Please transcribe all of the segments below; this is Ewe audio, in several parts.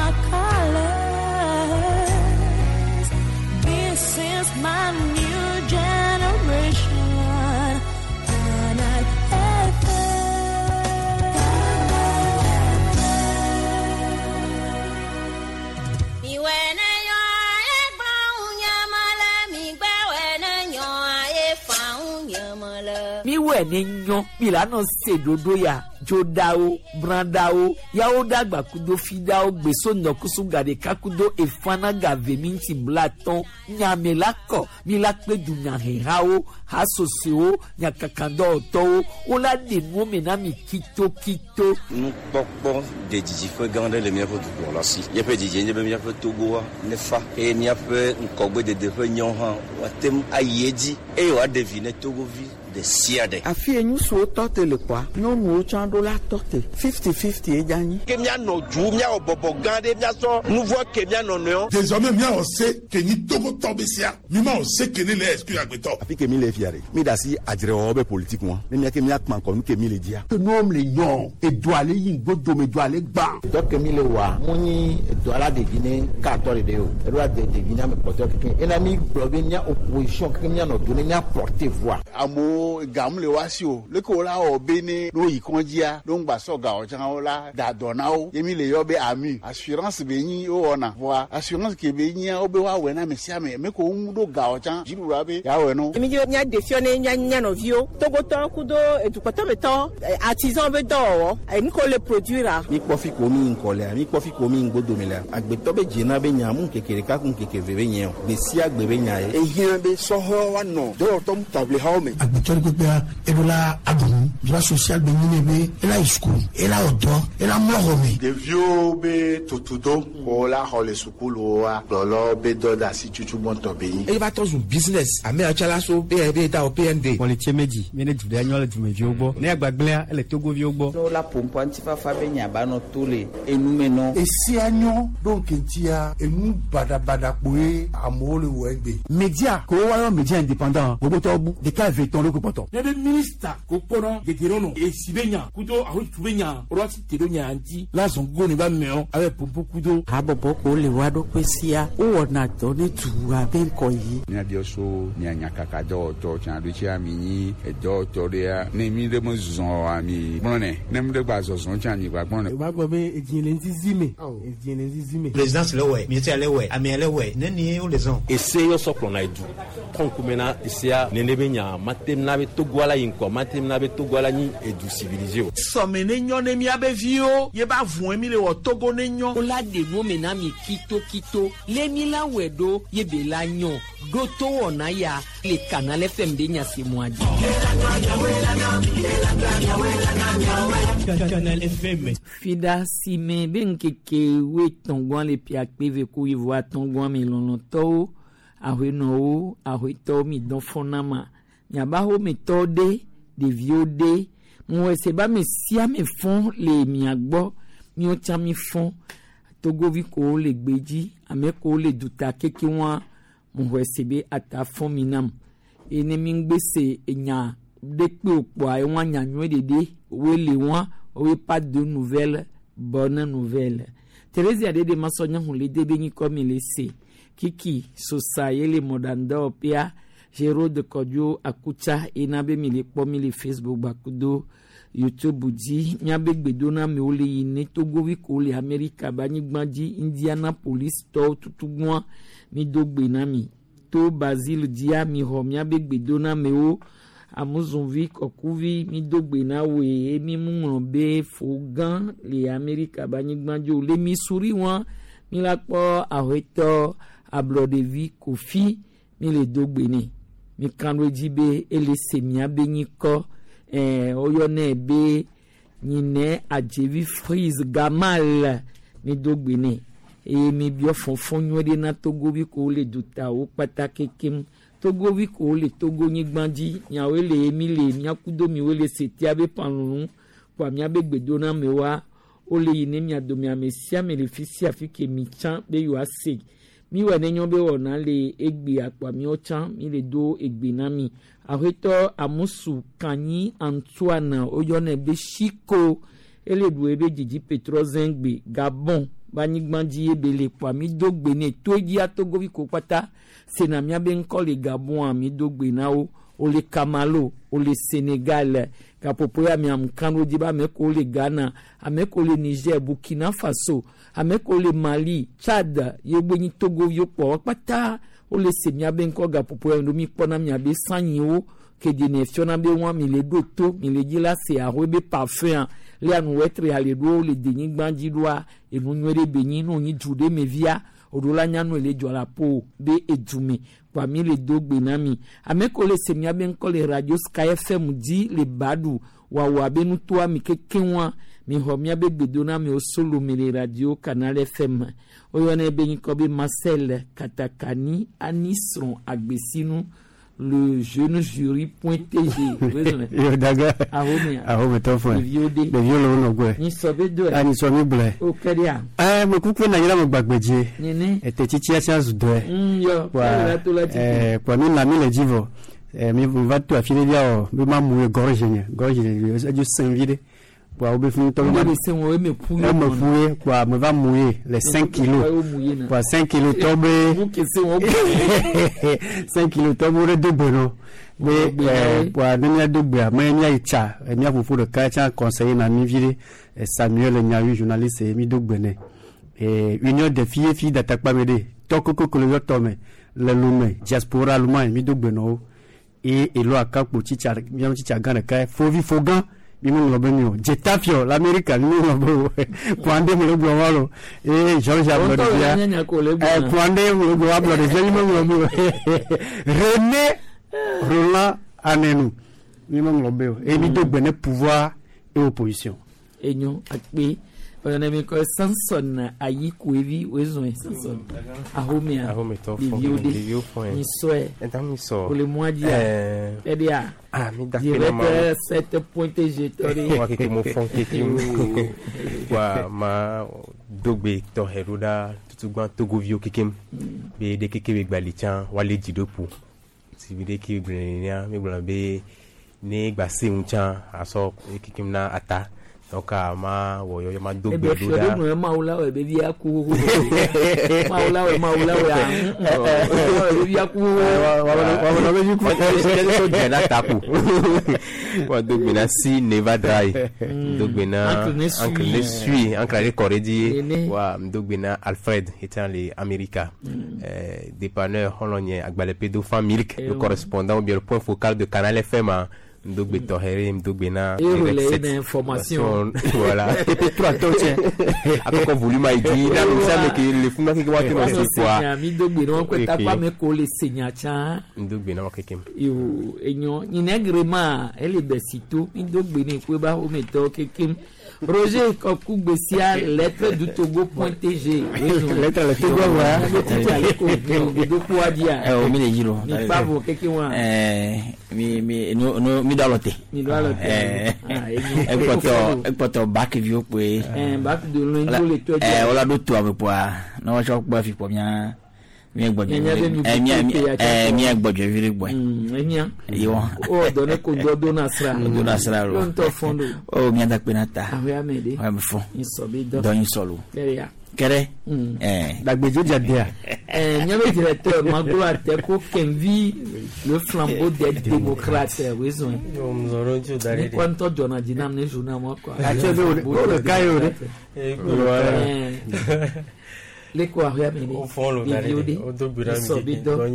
my colors. This is my new generation. Canal Miwɔe ne nyɔ mi la nɔ se ɖoɖo ya dzoɖawo brãɖawo yawo ɖagba kudo fiɖawo gbeso ŋdɔkusu gaɖeka kudo efana gave minti blatɔn nyame la kɔ mi la kpe dunyahehawo hasosowo nyakakadɔwɔtɔwo wola ɖe nuwo me na mi kitokito. Nukpɔkpɔ de didiƒe gã aɖe le míaƒe dukplɔla si. Míaƒe didie nye be míaƒe Togoa nefa eye míaƒe ŋkɔgbedede ƒe nyawo hã woate ŋu ayi edzi eye wòaɖe vi ne Togovi ɖe sia ɖe. Afi ye ŋutsuwo tɔ te le kɔa, nyɔnuwo tsã ɖo la tɔ te. 50-50 ye dza nyi. Ke míanɔ du míawɔ bɔbɔ gã ɖe míasɔ nu vɔ ke mía nɔnɔewo. Désormais míawɔ se ke nyi Togotɔ be sia mi ma wɔ se ke ne le exclure agbetɔ. Afi ke mi le fia ɖe mi da asi adzrewɔwɔ be politique ŋua ne mía ke mía kpa ŋkɔ nu ke mi le dzia. Ke nuwo le nyɔ edo ale yi ŋgbodome do ale gbã. Dɔ ke mi le wa mu nyi edo ala ɖevi ne katɔ ɖeɖe o eɖo ade ɖevi ne ame kpɔtɔ keke ena mi gblɔ be mía opposition keke mía nɔ do ne mía porter voix. Amewo gamu le wa si o leke wo la wɔ be ne no yi kɔndzia no ŋgba sɔ gawɔ tsã wo la da dɔ na wo ye mi le yɔ be ami assurance be nyi wo wɔna voa assurance ke be nyia wo be woawɔe na ame sia ame ame ko ŋu ɖo gawɔ tsã dziɖuɖua be yeawɔe no. Mi dzi be míaɖe fiɔ ne mía mía nɔviwo Togotɔwo kudo edukpɔtɔmetɔ artisan be dɔwɔwɔ enu ke wole produire. Mi kpɔ fi ko mi ŋkɔ lea mi kpɔ fi ko mi ŋgbodome lea agbetɔ be dzena be nya mu ŋkeke ɖeka ku ŋkeke eve be nye o gbe sia gbe be nya ye. Ehiã be sɔhɛwo woanɔ dɔwɔtɔ ŋutaʋlihawo me. Agbetɔ ɖe kpekpea eɖo la aɖu nu droit social be nyi ne be ela yi sukulu ela wɔ dɔ ela mlɔ xɔ me. Ɖeviwo be tutudo ko la xɔ le sukuluwoa kplɔlɔwo be dɔ de asi tutu gbɔntɔ be nyi. Eye va trɔ zu business ame yawo tsã la so be da wɔ PND. Kpɔlitse medzi mi ne du ɖe nyɔ le dumeviwo gbɔ ne agbagblẽa ele Togoviwo gbɔ. Ne wola ƒoƒu ŋutifafa be nya ba nɔ to le enume nɔ. Esia nyɔ ɖo ŋkeŋtia enu baɖabaɖa kpoe amewo le wɔ egbe. Media ko woayɔ media indépendant gbogbotɔwo bu ɖeka eve tɔn ɖo kpɔtɔ. Ne be minista ko kpɔnɔ gege nɔ esi be nya kudo ahotu be nya alo asi te ɖo nya ŋuti la zɔn gogo ne ba mɛɔ abe pompo kudo. Habɔbɔ ko le wa ɖokui sia wowɔna dɔ ne dua be ŋkɔ yi. Míabiɔ so mia nyakaka dɔwɔtɔ tsã ɖo tsia mi nyi edɔwɔtɔ ɖea ne mi ɖe me zɔ oa mi gblɔnɛ ne mi ɖe gba zɔzɔ tsã mi gba gblɔnɛ. O b'a gbɔ be edzi le ŋzizi me edzi le ŋzizi me. Présidence le wɛ ministère le wɛ amea le wɛ ne ni wo le zɔn. Ese yɔ sɔ kplɔna edu kɔnkume na esea nene be nya matem na be Togoa la yi ŋkɔ matem na be Togoa la nyi edu civilisé o. Sɔme ne nyɔ ne míabe viwo ye ba vɔe mi le wɔ Togo ne nyɔ. Wola ɖe nuwo me na mi kitokito le mi la wɔe ɖo ye be la nyɔ ɖo to wɔna ya le Canal FM ɖe nya se mɔa dzi. Canal FM. Fida si me be ŋkeke wuietɔ̃gɔa le ƒe akpe eve ku wuieve atɔ̃gɔa me lɔlɔ̃tɔwo aƒenɔwo aƒetɔwo mi dɔn fɔna ma miabaxɔmetɔwo ɖe ɖeviwo ɖe ŋuwɔ ba me sia me fɔn le mia gbɔ miwo tsã mi fɔn togovi kowo le gbedzi ame kowo le duta keke wa ŋuwɔ se be ata fɔn mi nam eye ne mi ŋgbe se enya ɖe kpe o kpɔa ewa nya nyuie ɖeɖe woe le wa woe pas de nouvelle bonne nouvelle Thérésia ɖeɖe masɔ nyahu le de be nyikɔ mi le se kiki sosa ye le mɔɖaŋdɔwɔƒea Gérald Kɔdzo Akutsa ena be mi le kpɔ mi le Facebook gbakudo YouTube dzi míabe gbedonamewo le yi ne Togovi ko le Amerika be anyigba dzi Indianapolis tɔwo tutugbɔa mi do gbe na mi to Basile dzia mi xɔ míabe gbedonamewo amuzunvi kɔkuvi mi do gbe na woe ye mi mu ŋlɔ be fo gã le Amerika be anyigba dzi o le Missouri wa mi la kpɔ aƒetɔ ablɔɖevi Kofi mi le do gbe nɛ mi kan ɖo edzi be ele se miabe nyikɔ ɛɛ woyɔnɛ be nyinɛ adzevi Freeze Gamal mi do gbe nɛ eye mi biɔ fɔfɔ nyuie ɖe na Togovi ko le dutawo kpata kekem Togovi ko le Togo nyigba dzi miawoe le mi le miakudo miwoe le setia be panunu kpoa miabe gbedonamewoa wole yi ne mia dome ame sia ame le fi sia fi ke mi tsã be yewoase mi wɔ ne nyɔ be wɔna le egbea kpoa miwo tsã mi le do egbe na mi aƒetɔ Amusu Kanyi Antoine woyɔnɛ be Shiko ele ɖu ebe dzidzi Petrozengbe Gabon Ba anyigba dzi ye be le kpoa mi do gbe ne to dzia togovi ko kpata sena miabe ŋkɔ le Gabon mi do gbe na wo wole Kamalo wole Sénégal gaƒoƒo ya mi amu kan ɖo dzi be ame kewo le Ghana ame kewo le Niger Burkina Faso ame kewo le Mali Tchad ye gbe nyi togoviwo kpɔ wo kpata wole se miabe ŋkɔ gaƒoƒo ya mi ɖo mi kpɔna miabe sanyiwo ke dene fiɔna be wɔn mi le ɖo to mi le dzi la se ahoe be parfum le anuwɛtre ale ɖo le denyigba dzi ɖoa enu nyuie ɖe be nyi nu nyi du ɖe me via oɖo la nyanu le dzɔ la po be edu me kpa mi le do gbe na mi ame ko le se miabe ŋkɔ le radio Sky FM dzi le Badu wawo abe nutoa mi keke wa mi xɔ miabe gbedona mi wo solo mi le radio Canal FM woyɔnɛ be nyikɔ be Marcel Katakani Anisron Agbesinu le jeune jury point tg. Yo daga. Ahome. Ahome to fún. Ɖeviwo de. Ɖeviwo le wo nɔ gbɔe. Nyisɔ be do. A nyisɔ mi gblɔe. O kɛ de a. Ɛ me kuku na nyina me gbagbe dzi. Nene. Ete tsitsi sia zu dɔe. Yɔ. Kpa ɛɛ kpa mi na mi le dzi vɔ. Ɛ mi va to afi ɖe via wɔ be ma mu ye gorge nye gorge nye edzo sẽ vi ɖe. Kpa wo be fi ŋutɔ. Eme se wo eme ƒu ye. Eme ƒu ye kpa me va mu ye le 5 kilos. Kpa 5 kilos tɔ be. 5 kilos tɔ be wo ɖe do gbe nɔ. Be kpa ne mía do gbea me mía yi tsa mía ƒoƒo ɖeka tsa conseiller na mi vi ɖe Samuel Nyawi journaliste mi do gbe nɛ. Union des filles et filles d'Atakpa me ɖe tɔ koko le yɔ tɔ me le Lomé diaspora Allemagne mi do gbe nɔ wo. Et elo akakpo tsitsa miawo tsitsa gã ɖeka fovi fogã. Mi me ŋlɔ be mi o Dzetafio l'Amérique mi me ŋlɔ be o Kouandé me le gblɔ wa lo ee George ablɔ ɖevia ɛ Kouandé me le gblɔ ablɔ ɖevia mi me ŋlɔ be o René Roland Anenu mi me ŋlɔ be o eye mi do gbe ne pouvoir et opposition. Enyo akpe ɔyɔnɛ mi kɔ Samson Ayikuevi wezɔn Samson ahomea ɖeviwo de nyisɔɛ wòle mɔa dzia ɛdia directeur 7 point g tɔ ɖe. Wa keke mo fɔn keke mo wa ma dogbe tɔxɛ ɖo ɖa tutugbã togoviwo kekem be ɖe keke be gbali tsã woale dzi ɖo ƒo si bi ɖe ke gblɔ nenea mi gblɔ be ne gba se ŋu tsã asɔ kekem na ata. Donc ma wo yo ma do gbe do da ebe ma wula we be bia ku ma wula we be bia ku wa wa be ku so jena tapu wa do gbe na si never dry do gbe na uncle ne suis uncle le corredi wa do gbe na Alfred étant les América dépanneur holonien agbalepe do fan milk le correspondant ou bien le point focal de Canal FM Ndogbe Tohere, Ndogbe na information. Voilà. TP3 toche. Akoko volume a dit, na ça mais que le fuma que wa te no se quoi. Mi ndogbe no ko ta pa me ko le senya cha. Ndogbe na kekem. Yo enyo inegrema ele besito mi ndogbe ni ko ba o me to kekem. Roger Kokugbesia, lettre du Togo point tg. Lettre du Togo, ouais. Mi dalote. Mi dalote. Ekpɔtɔ baki viwo kpoe. Baki de loin do le tɔ. Wala do to ame kpoa. Ne wotsɔ kpɔ afi kpɔ mía. Mía gbɔdzɔ. Mía gbɔdzɔ vi ɖe gbɔe. Enya. Yewɔ. O dɔnne ko dɔ do na sra. Do na sra lo. Yɔ ŋutɔ fɔn do. O mía da kpe na ta. Ahoe ame de. Ahoe ame fɔ. Nyisɔ bi dɔ. Dɔ nyisɔ lo. Kɛrɛ ya. Kɛrɛ. Dagbedzo dza dea. Nyame directeur Maglo Ateko Kenvi le flambeau des démocrates wezɔn. Ni kɔ ŋutɔ dzɔna dzi nam ne journal ma kɔ. Atse be o le ka ye o de. Leko ahoe ame de. Ɖeviwo de. Nyisɔ bi dɔ.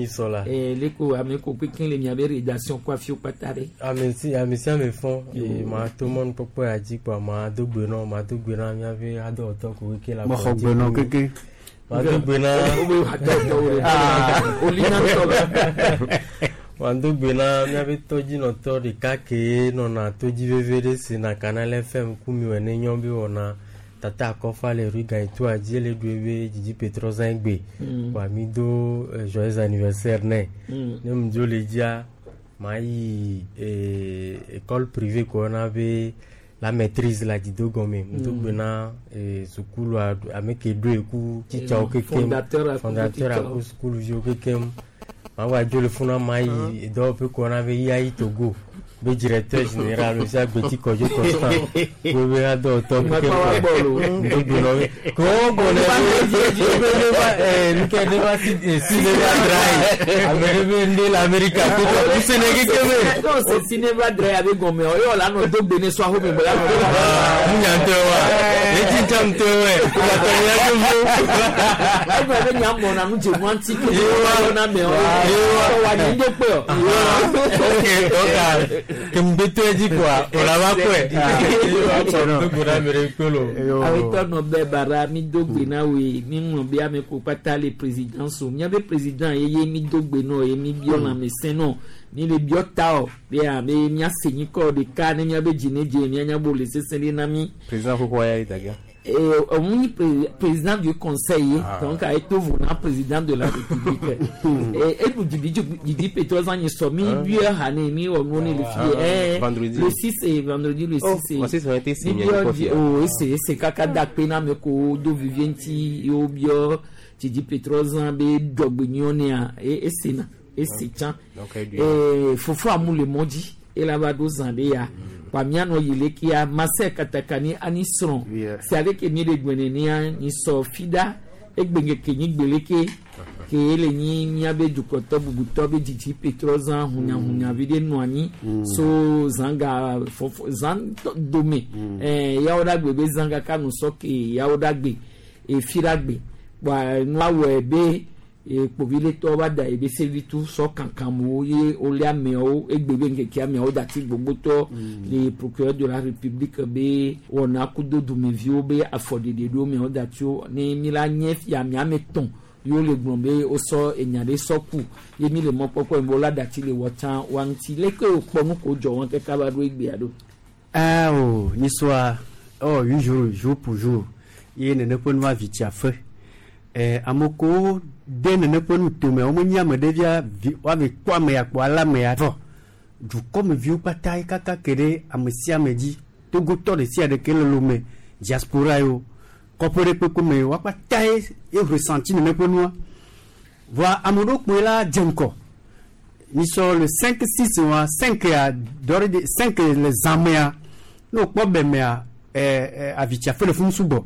Leko ame ko kpekpe le miabe rédaction kɔ afiwo kpata ɖe. Ame si ame fɔn ma to mɔnu kpɔkpɔ ya dzi kpɔ ma do gbe nɔ ma do gbe na miabe adɔwɔtɔ ko keke la. Mexɔ gbe nɔ keke. Ma do gbe na. Ma do gbe na miabe tɔdzinɔtɔ ɖeka ke nɔna todzi veve ɖe si na Canal FM ku mi wɔ ne nyɔ be wɔna tata akɔfa le rue Gaïtoa dzi le ɖu ebe dzidzi petrɔzã gbe. Wa mi do joyeux anniversaire nɛ. Ne mu dzo le dzia ma yi école privée ko na be la maîtrise la dzido gɔme. Mu do gbe na sukulu ame ke ɖo eku tsitsawo kekem fondateur aku sukuluviwo kekem. Ma wa dzo le funa ma yi dɔwɔƒe ko na be yayi Togo. Be directeur général monsieur Agbeti Kɔdjo Constant wo be adɔwɔtɔ keke ŋdogbe nɔ mi ko wo gbɔ ne be ne va nukɛ ne va si si ne va dra ye ame ɖe be ŋɖe le Amerika to tɔ ŋusẽ ne keke be. Non, c'est Sineva Dre avec Gomé. Oyo la no dogbe ne so ahome bola no. Nunyantɔ wa eti ntɔ wɛ kubatɔ ya tó fo. Egbe be nya mɔ na nu dze nu anti ke yewa na mɛ o. Yewa wa ni ŋdɔ kpe o. Ok, donc kemgbetɔ dzi koa o la va kɔe. Dogbe na mi ɖe kpelo. Awetɔ nɔ bɛ bara mi do gbe na woe mi ŋlɔ be ame ko kpata le président so miabe président ye ye mi do gbe nɔ ye mi biɔ lãmesẽ nɔ mi le biɔ ta o be abe miase nyikɔ ɖeka ne miabe dzi ne dze mianya bo le sesẽ ɖe na mi. Président xoxoa ya yi dagea. On est président du conseil, ah. Donc a été voulu président de la République. Et nous dit Pétrozan, il sommes bien hané, mi on est le fille. Vendredi. Le 6 et vendredi le 6 et. 6 ont été signés. Oh, c'est kaka dakpena me ko do vivienti yo bio Didi Pétrozan be dogbenyonea et c'est na et c'est tiens. Et fofo amou le mondi et là-bas dos ya. Pamiano yelekia Marcel Katakani ani srɔ̃ si ale ke mi le gbenenia ni sɔ fida egbenge ke nyi gbeleke ke ele nyi miabe dukɔtɔ bubutɔ be dzidzi petrɔ zã hunyahunya vi ɖe nɔ anyi so zãga fɔfɔ zã dome yawo ɖe agbe be zã kaka nu sɔ ke yawo ɖe agbe efi ɖe agbe kpoa nua wɔe be kpoviletɔwo va da ebe sevitu sɔ kankanmo ye wole ameawo egbe be ŋkeke ameawo dati gbogbotɔ le procureur de la république be wɔna kudo dumeviwo be afɔɖeɖe ɖo ameawo datiwo ne mi la nye fia miame tɔn yewo le gblɔ be wosɔ enya ɖe sɔ ku ye mi le mɔkpɔkpɔ yi be wola dati le wɔ tsã wa ŋuti leke wokpɔ nu ko dzɔ wɔn kaka va ɖo egbea ɖo. Aa o nyisɔa ewɔ 8 jours jour pour jour ye nene ƒe nua vi tsia fe. Ame kewo de nene ƒe nutome womenye ame ɖevia woave kpɔ ame ya kpɔ ale ame ya vɔ dukɔmeviwo kpata ye kaka ke ɖe ame sia ame dzi togotɔ ɖe sia ɖe ke le lome diaspora yewo kɔƒe ɖe kpekpe me woa kpata ye ye ressenti nene ƒe nua vɔa ame ɖewo kpoe la dze ŋkɔ misɔ le 5 6 wa 5 ya dɔre de 5 le zãmea ne wokpɔ bɛmea avitsiafe le funu sugbɔ.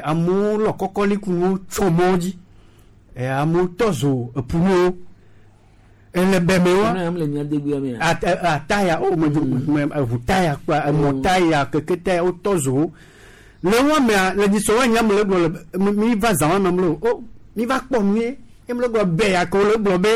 Amewo lɔ kɔkɔlikunuwo tsɔ mɔwo dzi amewo tɔ zo epunuwo ele bɛmɛ wa ataya o me eʋu taya kpa emɔ taya keke taya wotɔ zo wo le wa mea le nyisɔ wa nya me le gblɔ le mi va zã wa me le o mi va kpɔ nu ye emi le gblɔ bɛ ya ke wo le gblɔ be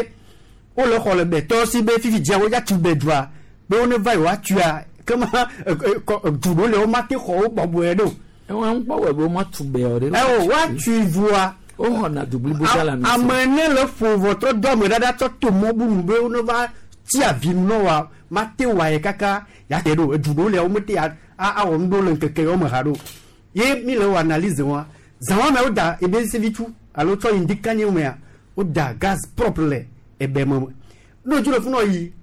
wo le xɔ le bɛ tɔ si be fifi dzia wo ya tu bɛ dua be wo ne va yi wa tuya kema du ɖewo le wo ma te xɔ wo bɔbɔe ɖo. Wọn kpɔ wɛ be wọn tu bɛ o de. Ɛ o wa tu voa. O xɔna du blibo dza la mi. Ame ne le ƒo vɔtrɔ do ame ɖaɖa tsɔ to mɔ bubu be ne va tsi avi nu nɔ wa ma te wa ye kaka ya te ɖo edu ɖewo le wo me te awɔ nu ɖewo le ŋkeke yewo me ha ɖo ye mi le wɔ analyse wa zã wa me wo da ebe sevitu alo tsɔ yi ŋdikanye mea wo da gaz propre le ebe me n'o dzi le funu yi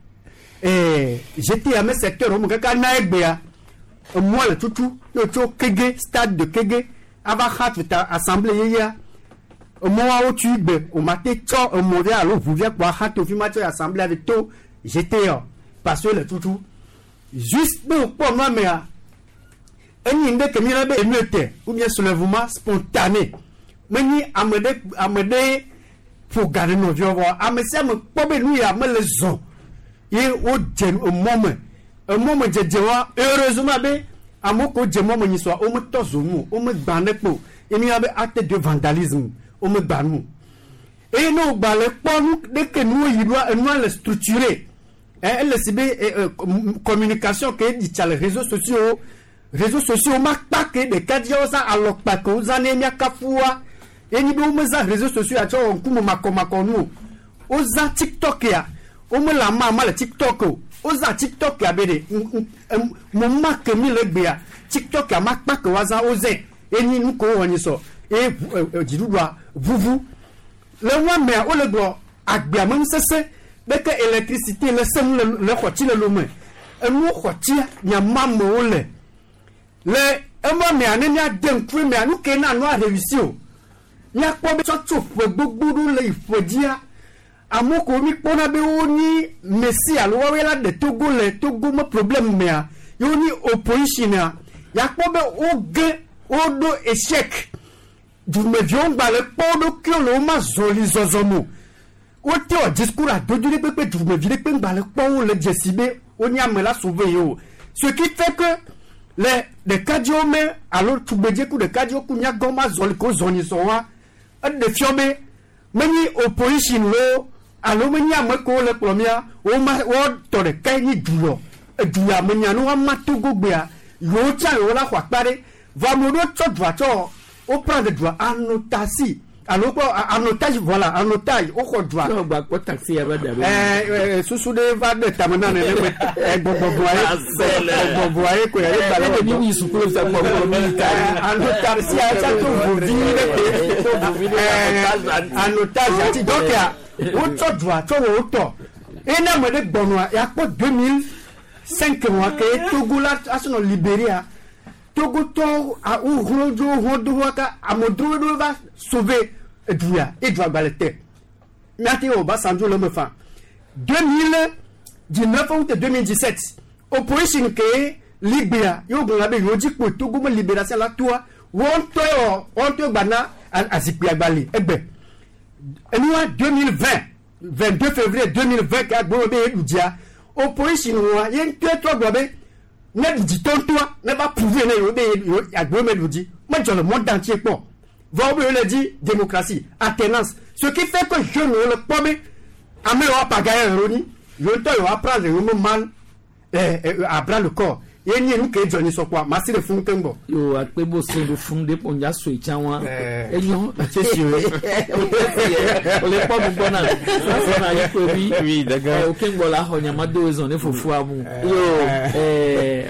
GTA me secteur wo me kaka na egbea emɔ le tutu ne tso Kege stade de Kege ava xa tuta assemblée yeyea emɔwoawo tui gbe o ma te tsɔ emɔ via alo ʋu via kpɔ axa to fi ma tsɔ assemblée ave to GTA parce que le tutu juste be wòkpɔ nua mea enyi ŋɖe ke mi yɔna be émeute ou bien soulèvement spontané menyi ame ɖe ƒo ga ɖe nɔviawo vɔ ame sia ame kpɔ be nu ya mele zɔ ye wodze emɔ me emɔ me dzedze wa heureusement be amewo ko dze mɔ me nyisɔa wometɔ zo nu o womegbã ne kpo ye mi yɔna be acte de vandalisme womegbã nu eye ne wògbã le kpɔ nu ɖeke nuwo yi ɖoa enua le structuré ele si be communication ke ɖi tsa le réseaux sociaux ma kpa ke ɖeka dzia wozã alɔkpa ke wozã ne miakafua ye nyi be womezã réseaux sociaux ya tsɔ wɔ ŋkume makɔmakɔ nu o wozã tiktok ya womele ama ama le tiktok o wozã tiktok ya be ɖe mo ma ke mi le gbea tiktok ya ma kpa ke woazã wozẽ ye nyi nu ke wowɔ nyi sɔ ye dziɖuɖua ʋuʋu le nua mea wole gblɔ agbea me nusese beke électricité le senu le xɔtsi le lome enuwo xɔtsia nyama amewo le le ema mea ne míade ŋku mea nu ke na nua réussi o míakpɔ be tsɔtso ƒe gbogbo ɖo le ƒe dzia Amewo ko mi kpɔna be wonyi messi alo woawoe la ɖe Togo le Togo me problème mea, ye wonyi opposition a, yakpɔ be woge woɖo échec. Dumeviwo ŋgba le kpɔ wo ɖokuiwo le woma zɔli zɔzɔ me o. Wote wɔ discours adodo ɖe kpekpe dumevi ɖe kpe ŋgba le kpɔ wo le dzesi be wonye ame la sauver ye o. Ce qui fait que le ɖekadzewo me alo tugbedze ku ɖekadzewo ku nyagɔ ma zɔli ko zɔni zɔ wa, eɖe fiɔ be menyi opposition lo alo menyi ame kewo le kplɔ mía woma woatɔ ɖekae nyi duyɔ eduya menya ne woama Togo gbea yewo tsã yewo la xɔ akpa ɖe vɔ ame ɖewo tsɔ dua tsɔ wo prendre dua anotasi alo kpɔ anotage voilà anotage woxɔ dua. Yɔ gba kpɔ taxi ya va da ɖo. Ɛɛ susu ɖe va ɖe tame na nene me gbɔgbɔgbɔa ye gbɔgbɔgbɔa ye ko ye gba le. Ne mi sukulu sa gbɔgbɔ mi ta. Anotasi ya tsa to vovi ɖe ke. To vovi ɖe anotage ati donc ya wotsɔ dua tsɔ wɔ wotɔ eye ne ame ɖe gbɔnɔa yakpɔ 2005 wa ke Togo la asɔnɔ Libéria. Togotɔwo wohlɔ̃ dzo wohlɔ̃ do woaka amedzrowo ɖewo va sauver eduya ye dua gba le te. Míate wɔ Obasanjo le eme faa. 2019 ou 2017 opposition ke ligbea ye wogblɔna be yewo dzi kpo Togo me libération la toa woawo ŋutɔe wɔ woawo ŋutɔe gba na azikpuia gba li egbe. Enua 2020 22 février 2020 ke agblɔ be yeɖu dzia opposition wɔa ye ŋutɔe trɔ gblɔ be ne ɖu dzi tɔntɔa ne va prouver ne yewo be yewo agbewo me ɖu dzi medzɔ le mɔ dan tsie kpɔ vɔ wo be yewo le dzi démocratie alternance ce qui fait que jeunes wo le kpɔ be ame yewo apagaye yewo nyi yewo ŋutɔ yewo apprendre yewo me mal à bras le corps ye nye nu ke dzɔ nyi sɔ kpɔa masi le funu keŋ gbɔ. Yo akpe bo se ɖo funu ɖe kpɔ nya sue tsã wa enyo tsesi o o le kpɔ nu gbɔ na sɔ na yi ko bi oui d'accord o keŋ gbɔ la xɔ nyama do ezɔn ne fofoa mu yo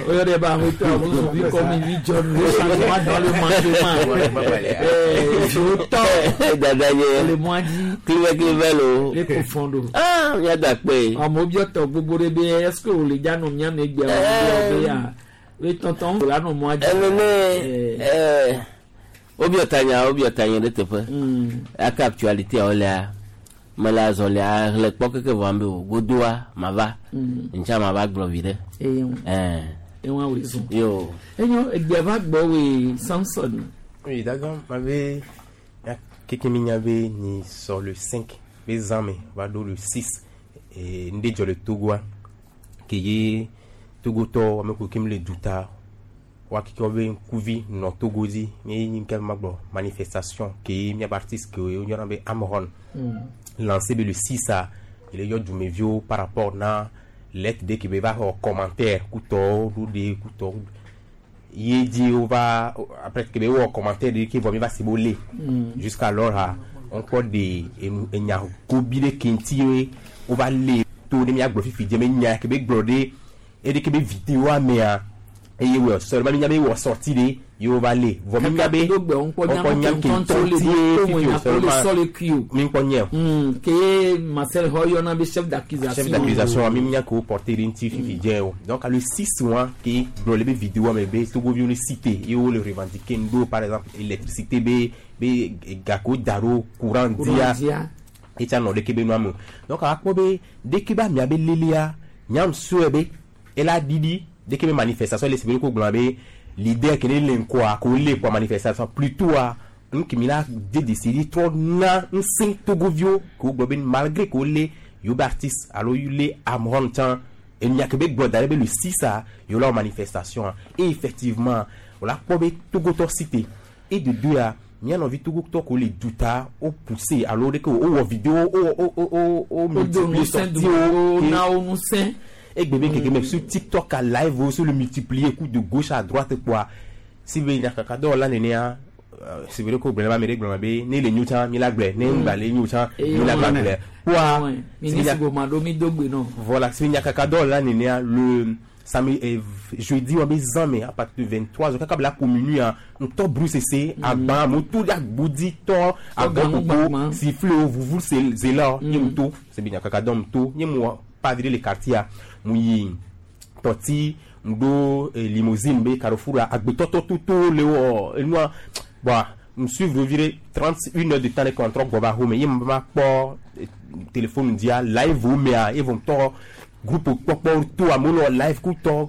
o yɔ ɖe ba ahotɔ amu zɔn bi kɔ mi mi dzɔ nu le changement dans le mandement zotɔ dada nye le mɔa dzi clive clive lo le ko fɔn do ah mía da kpe amewo biɔ tɔ gbogbo ɖe be est ce que o le dza nɔ mía me gbea o be ya be tɔntɔn o la nɔ mɔa dzi. Enene wobiɔ tanya wobiɔ tanya ɖe teƒe aka actualité awo lea mele azɔlia hlẽ kpɔ keke vɔ ambe o godoa mava ntsa mava gblɔ vi ɖe. Ewa wòle zɔn. Yo. Enyo egbea va gbɔ wòe Samson. Oui, d'accord. Mabe keke mi nya be ni sɔ le 5 be zã me va ɖo le 6 et ŋɖe dzɔ le Togoa ke ye Togotɔwo ame kewo ke le duta wa keke wobe ŋkuvi nɔ Togo dzi ye nyi ke magblɔ manifestation ke ye míabe artiste ke woyɔna be Amron lancé be le 6 a ele yɔ dumeviwo par rapport na lettre ɖe ke be va xɔ commentaire kutɔwo ɖo ɖe kutɔwo ye dzi wova après ke be wowɔ commentaire ɖe ke vɔ mi va si be wolé jusqu'alors ha wokpɔ ɖe enu enya gobi ɖe ke ŋuti ye wova lé to ne míagblɔ fifi dze me nya ke be gblɔ ɖe eɖe ke be vidéoa mea eye wɔ seulement mi nya be wɔ sorti ɖe ye wova lé vɔ mi nya be wokpɔ nya ke ŋutɔ le fifi to o nya ko le seulement sɔ le kui o. mi kpɔ nye o. Ke Marcel Hɔ yɔna be chef d'accusation. Chef d'accusation mi nya ke wo porté ɖe ŋuti fifi dze o donc le 6 mois ke gblɔ le be vidéoa me be Togoviwo le cité ye wo le revendiquer ŋɖo par exemple électricité be be gake wo da ɖo courant Courant dia dia. etsa nɔ ɖeke be nua me o donc akpɔ be ɖeke be amea be lelia nyam sɔe be ela ɖiɖi ɖeke be manifestation le si be ko gblɔna be leader ke ne le ŋkɔa ko le kɔa manifestation plutôt a nu ke mi la de décider trɔ na ŋusẽ Togoviwo ke wo gblɔ be malgré ke wo lé yewo be artiste alo le Amron tsã enya ke be gblɔ da ɖe be le 6 a yewo la wɔ manifestation a et effectivement wo la kpɔ be Togotɔ cité et de deux a mía nɔvi Togotɔ ko le duta wo poussé alo ɖeke wo wɔ vidéo wo wo wo wo wo Wo do multiplier ŋusẽ sortie du wo wo na wo ŋusẽ. egbe be keke me sur TikTok a live wo sur le multiplier coup de gauche à droite quoi si be nyakaka dɔwɔla nenea si be ɖe ko gblɔ ne ba ame ɖe gblɔ be ne le nyo tsã mi la gblɔe ne ŋgba le nyo tsã mi la gba gblɔe kpoa Ministre Gomado mi do gbe nɔ. voilà si be nyakaka dɔwɔla nenea le samedi jeudi wa be zã me à partir de 23 heures kaka be la ko minuit a ŋutɔ brusese agba amewo to ɖe agbodi tɔ agbɔkoko siffle wo vuvu zela nye mu to si be nyakaka dɔ mu to nye mu pas virer le quartier a mu yi tɔti mu ɖo limousine be Carrefour a agbetɔtɔ toto le wɔ enua bon M suivre vi 31 heures de temps ɖe kɔntrɔ gbɔ va home ye ma kpɔ téléphone dia live wo mea ye vɔ tɔ groupe kpɔkpɔ to amewo nɔ live ku tɔ.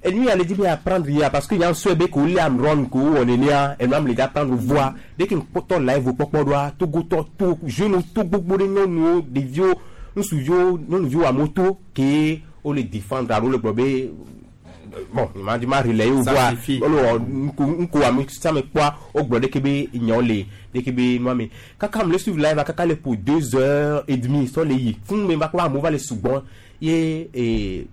Enu ya le di be apprendre ya parce que yan sɔe be ko le am run ko wɔ nenea enu am le da prendre voix dès que kpɔtɔ live kpɔkpɔ ɖoa togotɔ to jeune to gbogbo ɖe nyɔnuwo, ɖeviwo, ŋutsuviwo, nyɔnuviwo, amewo to ke wo le défendre alo le gblɔ be bon, ma di ma relayer wo voix wole wɔ ŋku ŋku ame sia ame kpɔa wo gblɔ ɖeke be nyawo le ɖeke be nua me kaka am le suivre live kaka le pour 2h30 sɔ le yi fún me va kpɔ amewo va le sugbɔn ye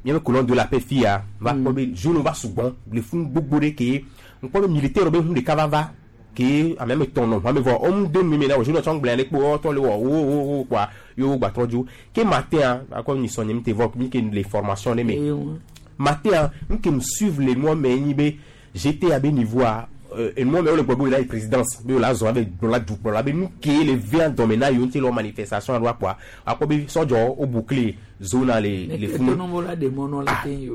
míabe colonne de la paix fia va kpɔ be jeune va sugbɔn le fún gbogbo ɖe ke ŋkpɔ be militaire be ŋu ɖeka va va ke ame ame tɔn nɔ ame vɔ wo de nu me na wo jeune tsɔ gblẽ ɖe kpo wo tɔ le wɔ wo wo wo kpoa ye wo gba trɔ dzo ke matin akɔ mi sɔn nye mi te vɔ mi ke le formation ɖe me matin n ke me suivre le nua me nyi be j'étais à be niveau a enua me wo le gbɔ be wo la yi présidence be wo la zɔ abe gblɔ dukplɔla be nu ke le vea dɔme na yewo ŋuti le wɔ manifestation alo akpɔa akpɔ be sɔdzɔ wo boucler zone le funu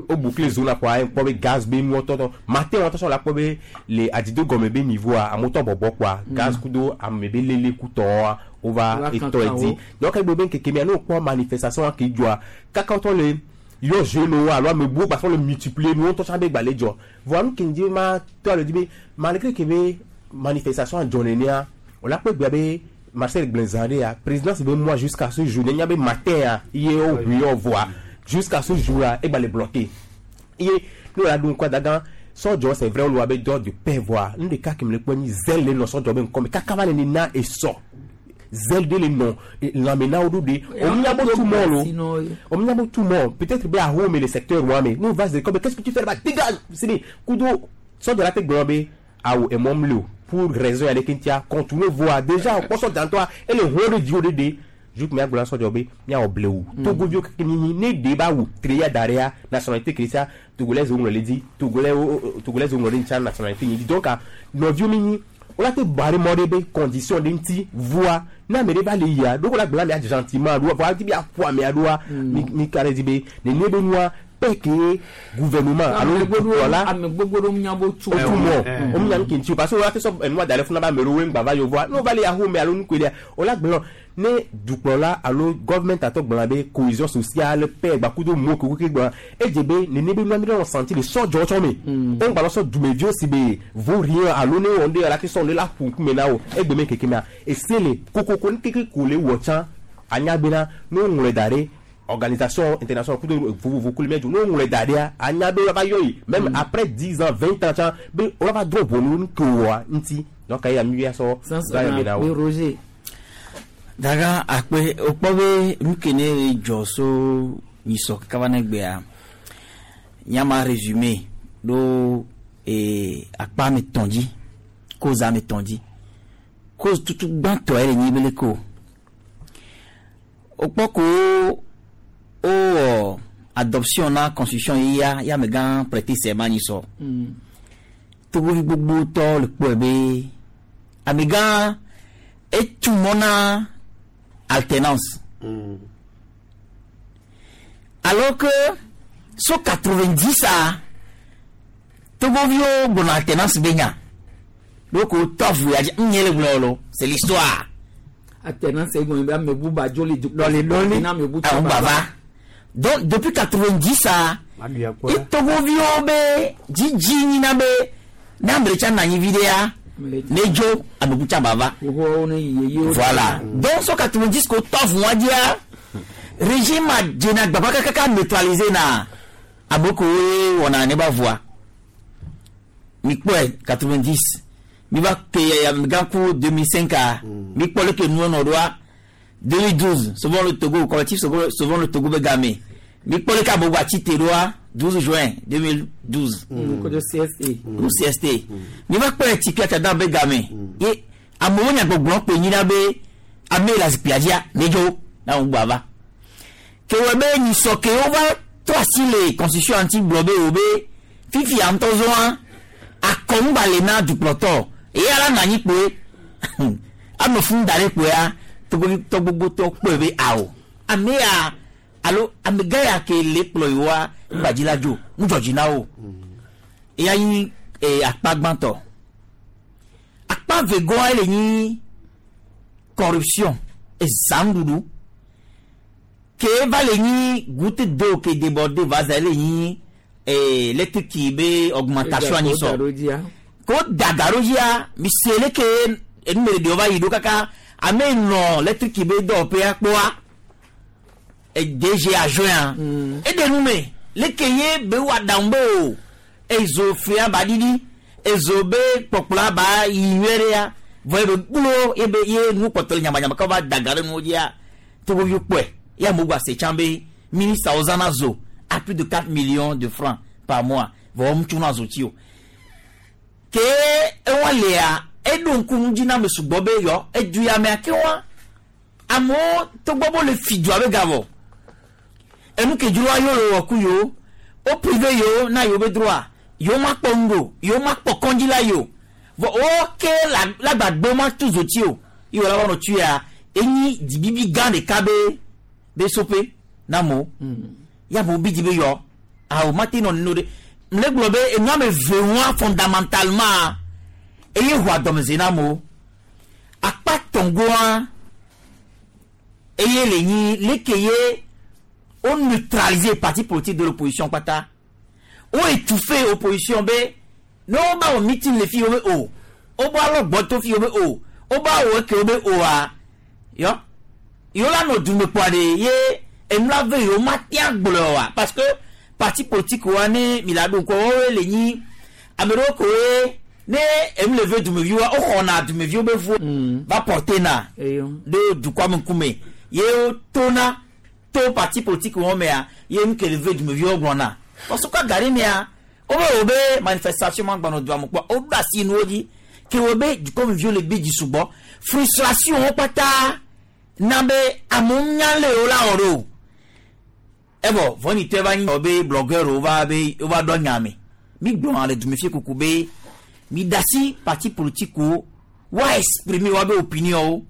wo boucler zone kpoa kpɔ be gaz be nuwo tɔtɔ matin wɔtɔ sɔ la kpɔ be le adido gɔme be niveau a amewo tɔ bɔbɔ kpoa gaz kudo ame be lele kutɔa wova etɔ edi. Donc egbe be nkeke mea ne wokpɔ manifestation ke dzɔa kaka wotɔ le yɔ jeune alo ame buwo gba sɔ le multiplier nuwo ŋutɔ tsã be gba le dzɔ. Voa nu ke ŋdi ma tɔ le dzi be malgré que be manifestation adzɔ nenea wòle akpɔ egbea be Marcel gblẽ zã ɖe ya présidence be moi jusqu'à ce jour nenya be matin ya ye wo ʋui yɔ voa jusqu'à ce jour là egba le bloqué ye ne wòle aɖu ŋkua dagã sɔdzɔ. C'est vrai, wole be dɔ de paix voa nu ɖeka ke me le kpɔ nyi zèle le nɔ sɔdzɔ be ŋkɔme kaka va le nena esɔ zèle ɖe le nɔ lãme na wo ɖo ɖe ominya bo tu mɔ lo ominya bo tu mɔ peut-être be aho me le secteur wa me nous va se comme qu'est-ce que tu fais là-bas, dégage. C'est kudo sɔdzɔ la te gblɔ be awo emɔ mle o pour raison ya ɖeke ŋutia contourner voie déjà kpɔ sɔdza ŋutɔa ele ʋu ɖe dzi wo ɖe ɖe jour mia gblɔ sɔdzɔ be miawɔ blewu togoviwo keke mi ne ɖe ba wu treya da ɖea nationalité chrétien togolais wo ŋlɔ le dzi togolais togolais wo ŋlɔ ɖe ŋutia nationalité nyi dzi. Donc nɔviwo mi nyi wola te ba ɖe mɔ ɖe be condition ɖe ŋuti voa ne ame ɖe va le yia ɖo ko la gblɔ amea gentiment ɖo voa di be aƒo amea ɖoa mi ka ɖe dzi be nenie be nua paix ke gouvernement alo dukplɔla ame gbogbo ɖewo nya bo tu o tu mɔ o mi nya nu ke ŋuti o parce que wola te sɔ enua da ɖe funa be ame ɖewo ŋgba va yevoa ne wova le axome alo nukoe wola gblɔ ne dukplɔla alo government atɔ gblɔna be cohésion sociale, paix gbakudo mo keke gblɔna edze be nene be nua mi ɖe nɔ senti le sɔdzɔ tsɔ me o ŋgba lɔ sɔ dumeviwo si be vaut rien alo ne wɔ ŋɖe la te sɔ ne la ƒu ŋkume na wo egbe me keke mea ese le kokoko nu keke ko le wɔ tsã anya bena ne woŋlɔe da ɖe organisation internationale kudo vovovo kuli mɛ dzo ne woŋlɔe da ɖea anya be woava yɔ yi même après 10 ans, 20 ans tsã be woava drɔ ʋɔnu nu ke wɔa ŋuti. Donc eya mi ya sɔ va yɔ na wo. Roger. Daga akpe okpɔ be nu ke ne dzɔ so nyisɔ kaka va ne gbea nyama résumé ɖo akpa ame tɔn dzi cause ame tɔn dzi. Cause tutu gbãtɔ ye le nyi be leke o wokpɔ ko wowɔ adoption na constitution yia ya amegã prêter serment nyisɔ togovi gbogbo tɔ le kpɔe be amegã etu mɔ na alternance alors que so 90 a togoviwo gblɔna alternance be nya donc tɔ vu ya dzi nye le gblɔ lo, c'est l'histoire. Alternance egɔme be ame bu ba dzo le dukɔ dɔli dɔli na ame bu àwọn baba. Donc depuis 90 a itogoviwo be dzidzi nyina be ne ame ɖeka nɔ anyi vi ɖea ne dzo ame bu tsa bava. Voilà, donc so 90 ko tɔ vu wa dzia régime a dzena gbagba kakaka neutraliser na ame kowoe wɔna ne ba voa mi kpɔe 90 mi va ke amegã ku 2005 a mi kpɔ leke nuwo nɔ ɖoa 2012 Sauvons le Togo, collectif Sauvons le Togo be game mi kpɔ leke amewo atsi te ɖoa 12 juin 2012 kodo CST. Ku CST mi va kpɔ Tipi Atchadam be game ye amewo nya gbɔgblɔ kpe nyina be ame le zikpuia dzia ne dzo na wo gbɔ ava ke wɔ be nyisɔ ke wova trɔ asi le constitution ŋuti gblɔ be wo be fifia ŋutɔ zɔa akɔŋgba le na dukplɔtɔ eye ala nɔ anyi kpoe ame fún da ɖe kpoea togovitɔ gbogbotɔ kpɔe be awo ame ya alo amegã ya ke le kplɔ yewoa ŋgbadzi la dzo ŋudzɔdzi na wo eya nyi akpa gbãtɔ akpa. Akpa vegɔa le nyi corruption ezãnuɖuɖu ke va le nyi goutte d'eau ke débordé va za le nyi électrique be augmentation anyi sɔ ko da ga ɖo dzia mi se le ke enu me ɖewo va yi ɖo kaka ame nɔ électrique be dɔwɔƒea kpɔa DG adjoint eɖe nu me leke ye be wɔ aɖaŋu be o ezo fia ba ɖiɖi ezo be kpɔkplɔa ba yi nyuie ɖea vɔ ebe gblɔ ebe ye nu kpɔtɔ le nyamanyama kɔ va da ga ɖe nuwo dzia togoviwo kpɔe ye amewo gba se tsã be ministre zãna zo à plus de 4 millions de francs par mois vɔ wɔm tso na zo tsi o ke ewa lea eɖo ŋku nu dzi na ame sugbɔ be yɔ edu ya mea ke wa amewo togbɔ be le fi dua be gavɔ enu ke dzroa yewo le wɔ ku yewo wo privé yewo na yewo be droit yewo ma kpɔ nu ɖo yewo ma kpɔ kɔndzi la yi o vɔ wo ke la lagbagbe ma tu zotsi o ye wòle wɔnɔ tu ya enyi dzibibi gã ɖeka be be soƒe na amewo ya amewo bi dzi be yɔ awo ma te nɔ nene o ɖe mle gblɔ be enu ame ve ŋua fondamentalement eye ʋua dɔmedze na amewo akpa tɔngoa eye le nyi leke ye wo neutraliser parti politique de l'opposition kpata wo étouffer opposition be ne wo ba wɔ meeting le fi wo be o wo ba alɔ gbɔto fi wo be o wo ba wɔ eke wo be oa yɔ yewo la nɔ dume kpɔa ɖe ye enu la ve yewo ma tea gblɔ oa parce que parti politique wa ne mi la ɖo ŋkɔ woawoe le nyi ame ɖewo koe ne enu le ve dumeviwoa woxɔna dumeviwo be vo va porter na ɖe dukɔa me ŋkume ye wotona to parti politique wɔn mea ye nu ke le ve dumeviwo gblɔna kɔsɔkɔ gari mea wobe wo be manifestation ma gbanɔ dua me kpɔ woɖo asi nuwo dzi ke wo be dukɔmeviwo le bi dzi sugbɔ frustration wo kpata na be amewo nya le wo la wɔ ɖo evɔ vɔnitɔe va nyi wɔ be blogueur wo va be wo va ɖɔ nya me mi gblɔna le dumefie kuku be mi da asi parti politique wo wa exprimer wa be opinion wo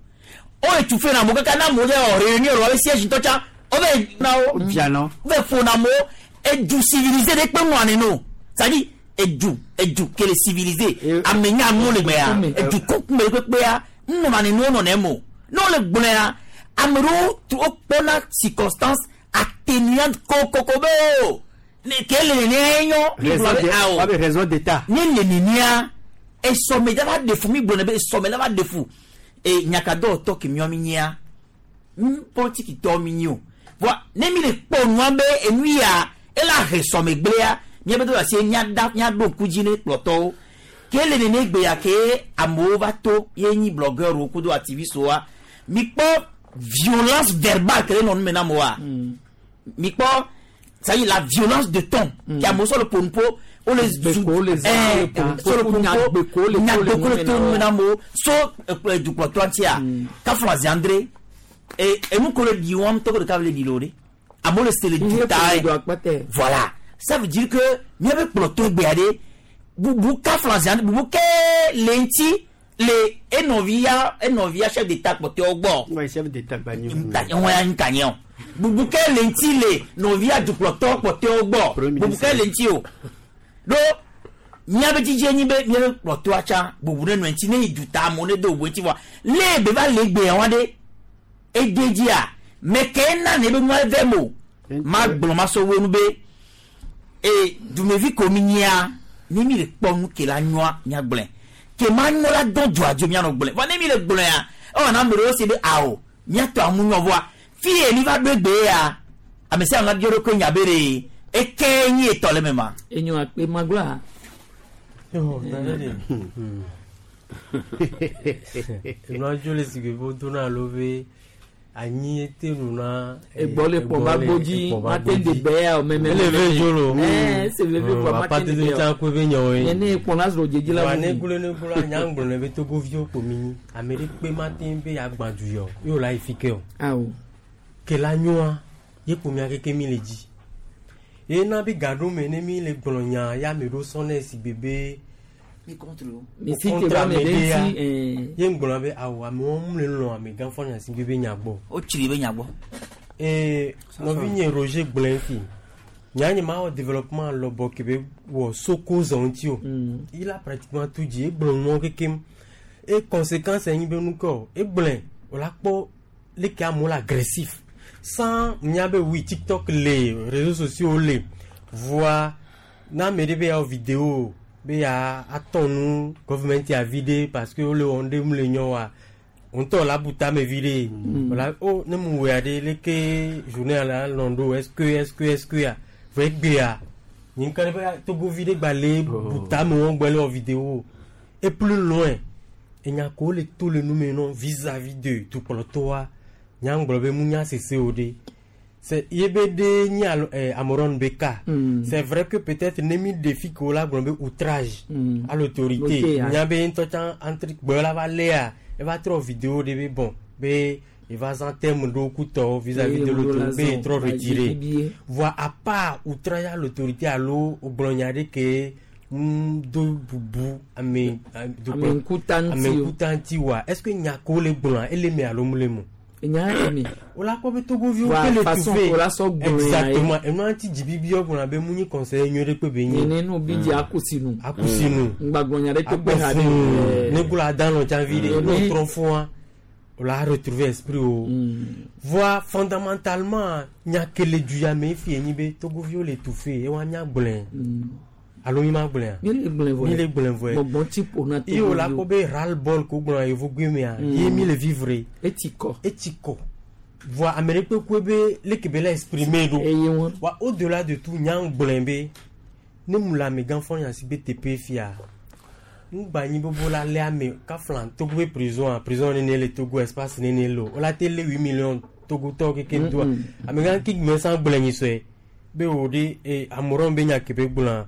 wo étouffer na amewo kaka na amewo dze wɔ réunion wa be siège ŋutɔ tsã wo be na wo Bianɔ. wo be ƒona amewo edu civilisé ɖe kpe ŋua nene o c'est-à-dire edu edu ke le civilisé ame nya nu le gbea edu kɔkume kpekpea ŋunɔna nene wo nɔ nɛ mo ne wo le gblɔa ame ɖewo tu wo kpɔna circonstance atténuante kokoko be o ne ke le nenea nyɔ mi gblɔ be awo Wabe raison d'état. ne le nenea esɔme la va ɖe fu mi gblɔ ne be esɔme la va ɖe fu e nyakadɔwɔtɔ ke miɔ mi nyia politiki tɔ mi nyi o voa ne mi le kpɔ nua be enu ya ela he sɔme gblẽa miabe do asi miada miaɖo ŋku dzi ne kplɔtɔwo ke le nene gbea ke amewo va to ye nyi blogueur wo kudo activiste woa mi kpɔ violence verbale ke le nɔ nu me na amewoa mi kpɔ ça y est la violence de ton ke amewo sɔ le ƒonuƒo wole zu sɔ le ƒonuƒo nyagbeko le to nu me na amewo so dukplɔtɔa ŋutia kafla ziandre e enu ko le ɖi wɔm tɔgɔ ɖeka le ɖi le o ɖe amewo le se le du ta ye voilà ça veut dire que miabe kplɔtɔ gbea ɖe bubu kafla ziandre bubu ke le ŋuti le enɔvia enɔvia chef d'état kpɔtɔewo gbɔ. Ouais, chef d'état gbanyo. ŋun ya ŋta nye o bubu ke le ŋuti le nɔvia dukplɔtɔ kpɔtɔewo gbɔ bubu ke le ŋuti o ɖo miabe dzidzi nyi be miabe kplɔtɔa tsã bubu ne nɔ ŋuti ne yi duta amewo ne do bubu ŋuti vɔa le be va le gbea wa ɖe ede dzia mɛ ke na ne be nua vɛ mo ma gblɔ ma sɔ wo nu be e dumevi ko mi nyia ne mi le kpɔ nu ke la nyɔa mia gblɔe ke ma nyɔ la dɔn dzoa dzo mianɔ gblɔe vɔ ne mi le gblɔea ewɔ na ame ɖewo si be awo miatɔ amu nyɔ vɔa fi ye mi va ɖo egbe ya ame sia ame la biɔ ɖokui nya be ɖe eke nyi etɔ le me ma. Enyo akpe magblɔa. Yo, nane de. Enua dzo le sigbe be wodona alo be anyi ete nu na. Egbɔ le kpɔ ba gbodzi mate de bɛ ya o mɛ mɛ. Ele ve dzo lo. Ɛɛ se veve kpɔ Papa mate de tete bɛ tsã o. koe be nyawo ye. Nene kpɔ la srɔ̃ dzedzi la Wa ne vuvu. gblɔ ne gblɔ nya gblɔ ne be togoviwo kpo mi nyi. Ame ɖe kpe mate be yeagbã du yɔ ye wòle ayi fi ke o. Awo. Ke la nyoa ye kpo mia keke mi le dzi. Ye na be gaɖo me ne mi le gblɔ nya ya ame ɖewo sɔnɛ si gbe be. Mi contre o. Mi si te ba me ɖe ŋuti, ɛɛ. Ye ŋgblɔ be awo amewo mu le lɔn amegã fɔ nya si gbe be nya gbɔ. Wotsri be nya gbɔ. Ee nɔvinye Roger gblɔe fi. Nya nye ma wɔ développement lɔbɔ ke be wɔ soko zɔ ŋuti o. Il a pratiquement tout dit. Egblɔ nuwo kekem. E conséquence enyi be nu ke o egblẽ o la kpɔ leke amewo le agressif sans mía be oui TikTok le réseaux sociaux le voa na ame ɖe be ya wɔ vidéo be ya atɔ nu gɔvimɛnti avi ɖe parce que wole wɔm ɖe mu le nyɔ wa ŋutɔ la bu tame vi ɖe wòla o ne mu wɔa ɖe leke journée la lɔn ɖo est ce que est ce que est ce que ya vɔ egbea nye ŋka ɖe be togovi ɖe gba le bu tame wɔm gbɔ le wɔ vidéo et plus loin enya ko le to le nu me nɔ vis-à-vis de dukplɔtɔa nyagblɔ be mu nya sese o ɖe c'est ye be ɖe nyi alo Amoron be cas. C'est vrai que peut-être ne mi ɖe fi ke wo la gblɔ be outrage à l'autorité. Ok, nya be ŋutɔ tsã entre gbɔ la va léa eva trɔ vidéo ɖe be bon be eva zã terme ɖewo kutɔwo vis-à-vis de Ye wo la l'autorité be zã trɔ ba retiré dzi bie. voa à part outrage à l'autorité alo wogblɔ nya ɖe ke do bubu ame Ame ŋkuta ŋuti ame o. ŋkuta ŋuti wa est ce que nya ko le gblɔa ele me alo mu le mo Enya eme. wola kpɔ be togoviwo Voa ke le façon tufe ko la sɔ gblɔe ya ye. exactement enua ŋuti dzibibi gblɔna be mu nyi conseiller nyuie ɖe kpe be nyi Nene no bi dzi akusinu. akusinu Ŋgbagblɔ nya ɖe kpekpe ha ɖe. akpɔ ne gblɔ adanɔ tsã vi ɖe Mm. ne wòtrɔ fua wola retrouver esprit o voa fondamentalement nya ke le du ya me fi enyi be togoviwo le tufe ewa mía gblɔe alo mi ma gblɔea Mi le gblɔe vɔ. mi le gblɔe vɔe Gbɔgbɔ tsi ƒo na ye wòla togoviwo. kpɔ be ras le bol ko gblɔna yevugbe mea ye mi le vivre Etsi kɔ. etsi kɔ voa ame ɖe kpekpe be leke be la exprimer ɖo Eye wɔn. wa au delà de tout nya gblɔe be ne mu le amegã fɔ nya si be teƒe fia ŋgba nyi bobo la lé ame kafla Togo be prison a prison nene le Togo espace nene le o wola te lé 8 millions Togotɔwo keke doa amegã ki gbɛ san gblɔe nyi sɔe be wo ɖe e amoron be nya ke be gblɔa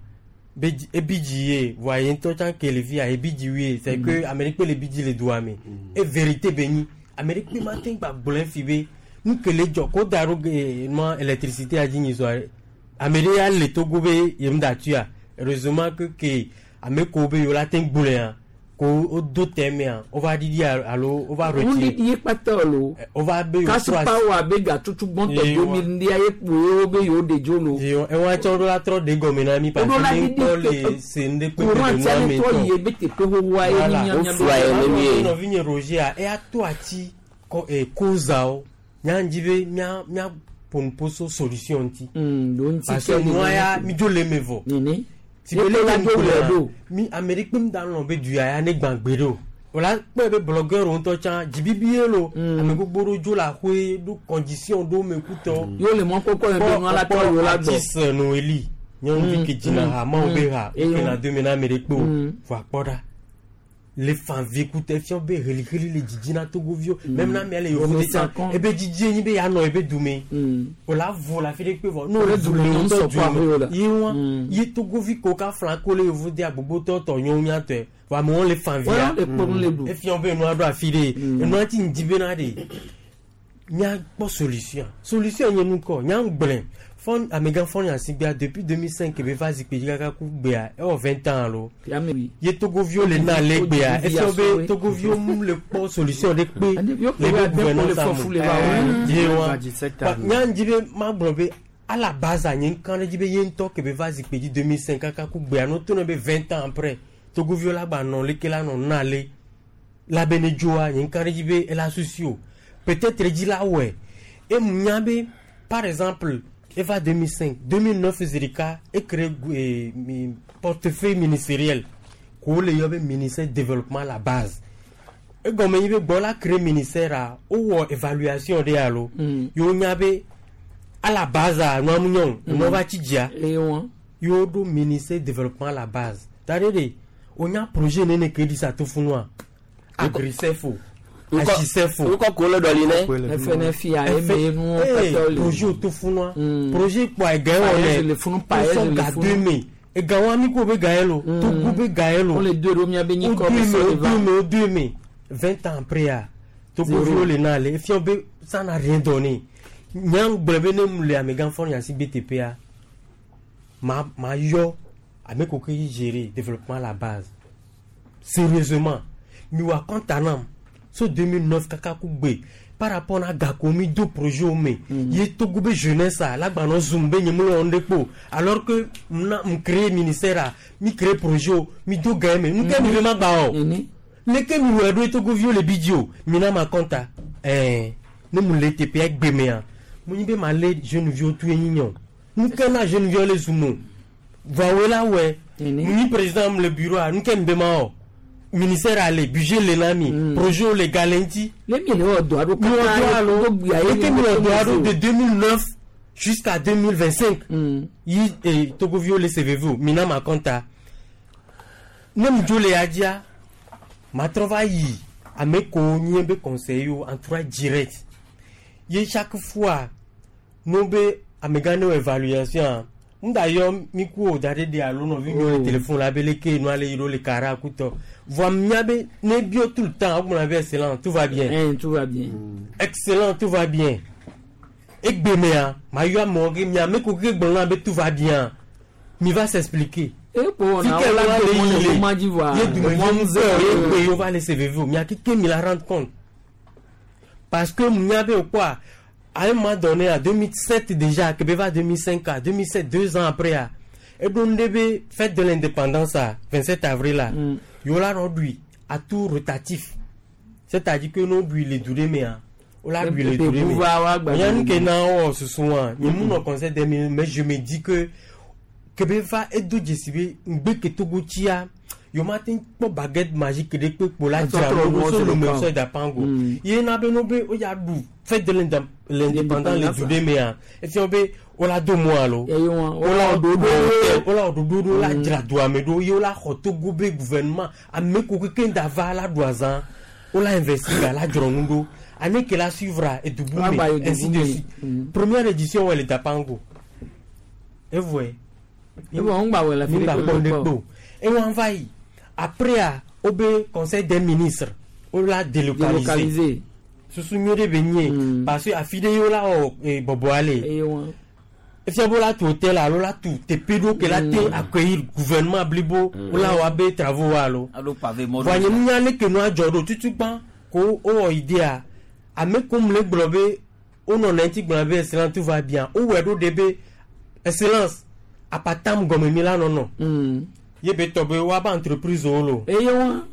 be dzi ebi dzi ye voa ye ŋutɔ tsã ke le fia ebi dzi wie c'est que ame ɖe kpe le bi dzi le doa me e vérité be nyi ame ɖe kpe ma te gba gblɔe fi be nu ke le dzɔ ko da ɖo e nua électricité a dzi nyi sɔa ame ɖe ya le Togo be yem da tuia heureusement que ke ame ko be yewo la te gblɔea ko wo do tɛmea wova ɖiɖi alo wova retire Ŋuɖiɖi ye kpata lo. wova be yewo trɔ asi Kasipa wa be gatutu gbɔntɔ Ye do wa. mi ŋdia ye kpo ye wo be yewo ɖe dzo lo. ewa tsɔ ɖo la trɔ ɖe gɔme na mi parce Woɖo la que ne ɖiɖi ŋkpɔ te- le se ŋɖe kpe Courant le tia nua ne me trɔ ŋutɔ yi be teƒe xoxoa ye Voilà. mi mía Wofua ye ne mi ye. nɔvinye Roger a eya to ati kɔ e kozawo nya ŋdzi be mía mía ƒonuƒo so solution ŋuti ɖo ŋuti parce que ke nua ya nene. mi dzo le eme vɔ Nene. si be Ye leke la dzo ŋku le lea ɖo. mi ame ɖe kpe mi da lɔn be du ya ya ne gbã gbe ɖe o wòla kpɔe be blogueur ŋutɔ tsã dzibibi ye lo ame gbogbo ɖewo dzo le aƒe ɖo condition ɖo me kutɔ Yewo le mɔ kpɔkpɔ me be nua la trɔ yewo la gbɔ. artiste Noeli nyɔnuvi ke dzina ha mawo be ha Eye wokena dome na ame ɖe kpe o vɔ akpɔ ɖa le fanvi kutɛ fiɔ be heliheli le dzidzi na togoviwo même na amea le yevu de tsã Kɔn. ebe dzidzi enyi be yeanɔ ebe dume o la vo le afi ɖe kpe vɔ ne o Le le dume le ŋutɔ ŋutɔ kɔ aƒewo la. dume ye wa ye togovi ko ka fla ko le yevu de agbogbotɔ tɔ nyɔnu miatɔe vɔ amewo le fanvia Wɔn le kpɔ nu le ɖu. efiɔ be enua ɖo afi ɖe enua ti ŋdi bena ɖe míakpɔ solution solution nye nu kɔ nya gblẽ fɔn amegã fɔn asigbea depuis 2005 be va zikpui dzi kaka ku gbea ewɔ 20 ans alo Ame wi. ye togoviwo le na le gbea Togovi efiɔ be asɔwoe. togoviwo mu le kpɔ solution ɖe kpe Ɖeviwo le kpe be be ade gouvernance kpo le fɔfu le va wo. ye wa Va 17 Ba, ans. nya ŋdi be magblɔ be à la base nye ŋka ɖe dzi be ye ŋutɔ ke be va zikpui dzi 2005 kaka ku gbea no to ne be 20 ans après togoviwo la gba nɔ leke la nɔ na le la be ne dzoa nye ŋka ɖe dzi be ela susi o peut-être edzi la wɔe emu nya be par exemple eva 2005 2009 zi ɖeka ecrée portefeuille ministériel ko wole yɔ be ministère développement à la base egɔme nyi be gbɔ la créé ministère a wowɔ évaluation ɖe alo yewo nya be à la base a nua mu nyɔ o enua va tsi dzia Eye wɔn. yewo ɖo ministère développement à la base ta ɖe ɖe wonya projet nene ke ɖi sa to funua agrisef o agisef o ŋkɔ ko le ɖɔli ne FNFIA eme nuwo katã le. projet o to funua projet kpɔ ega wɔ Paez nɛ le funu, Paez wosɔ le ga funu. deux me ega wa mi ko be ga ye lo Togo be ga ye lo Wole do ɖo mía be o nyikɔ be deux me sɔ o le va. deux me o deux me 20 ans après a Togoviwo le na le efiɔ be ça n'a rien donné nya gblɔ be ne mu le amegã fɔ nya si be teƒea ma ma yɔ ame ko ke yi gérer développement à la base sérieusement mi wa kɔntanam so 2009 kaka ku gbe par rapport na gako mi do projet wo me ye Togo be jeunesse a la gbanɔ zoom be nye mu le wɔm ɖe kpo alors que mna m créé ministère a mi créé projet o mi do ga ye me nu ke mi be ma gba o Nene. Leke mi wɔ ɖo Togoviwo le bi dzi o. Mina ma kɔnta. Ɛɛ ne mu le teƒea gbemea. Mu nyi be ma le jeune viwo tu enyi nye o. Nu ke na jeune viwo le zumo. Vɔa la wɔ. Mu nyi président mu le bureau a nu ke mi be ma wɔ. Ministère ale budget le na mi. Projet le ga le ŋuti. Le mi le wɔ dɔ aɖo Mi wɔ dɔ alo. Togo Leke mi wɔ dɔ aɖo de 2009 jusqu'à 2025. Yi Togoviwo le se veve o. Mina ma kɔnta. Ne mu dzo le ya dzia matrɔ va yi ame kewo nye be conseiller wo entourage direct ye chaque fois no be amegã ne wɔ évaluation n da yɔ mi ku o da ɖe de alo nɔvi nyɔ le téléphone la be leke nua le yi ɖo le kara kutɔ voa mía be ne bio tout le temps wogblɔna be excellent, tout va bien. Eh, tout va bien. Excellent, tout va bien. Egbemea ma yɔ amewo ke mia ame ko ke gblɔna be tout va bien, mi va s'expliquer. Fike la le yi le ye dumevi ŋutɔ ye gbe yewo va le se veve o mia keke mi la rendre compte parce que mia be quoi, à un moment donné, en 2007 déjà, que va 2005 à 2007, 2 ans après à eɖo nu ɖe be fête de l'indépendance à 27 avril là, yewo la nɔ ɖui à tour rotatif, c'est-à-dire que no ɖui le du ɖe mea, wola ɖui le du ɖe me. Nya nu ke na wɔ susu wa nye mu nɔ conseil des ministres, mais je me dis que kebe va edo dzesi be ŋgbe ke Togo tsia yewo ma te kpɔ baguette magique ɖe kpe kpo la dzra ɖo so lome sɔ da pango ye na be no be o ya ɖu fête de l'indépendance le du ɖe mea, efia be wola do mɔ alo wola wola ɖoɖo ɖo la dzra doa me ɖo ye wola xɔ Togo be gouvernement ame ko keke da va la ɖu azã wola investir ga la dzrɔ nu ɖo année ke la suivra edubu me, ainsi de suite. Première édition wɔ le Dapango evɔe. Evɔ ŋgba wɔ le fi ɖe kpɔ ɖe kpo ewɔn va yi après a wo be conseil des ministres wola délocaliser susu nyuie ɖe be nye parce que afi ɖe ye wola wɔ bɔbɔa le efia be wola tu hôtel alo la tu teƒe ɖo ke la te accueillir gouvernement blibo wola wɔ abe travaux wa alo voa nye nunya ne ke nua dzɔ ɖo tutu gbã ko wowɔ idea ame ko mu le gblɔ be wonɔ ŋuti gblɔ be excellence, tout va bien. Wowɔe ɖo ɖe be excellence apatam gɔme mi la nɔnɔ ye be tɔ be woaba entreprise wo lo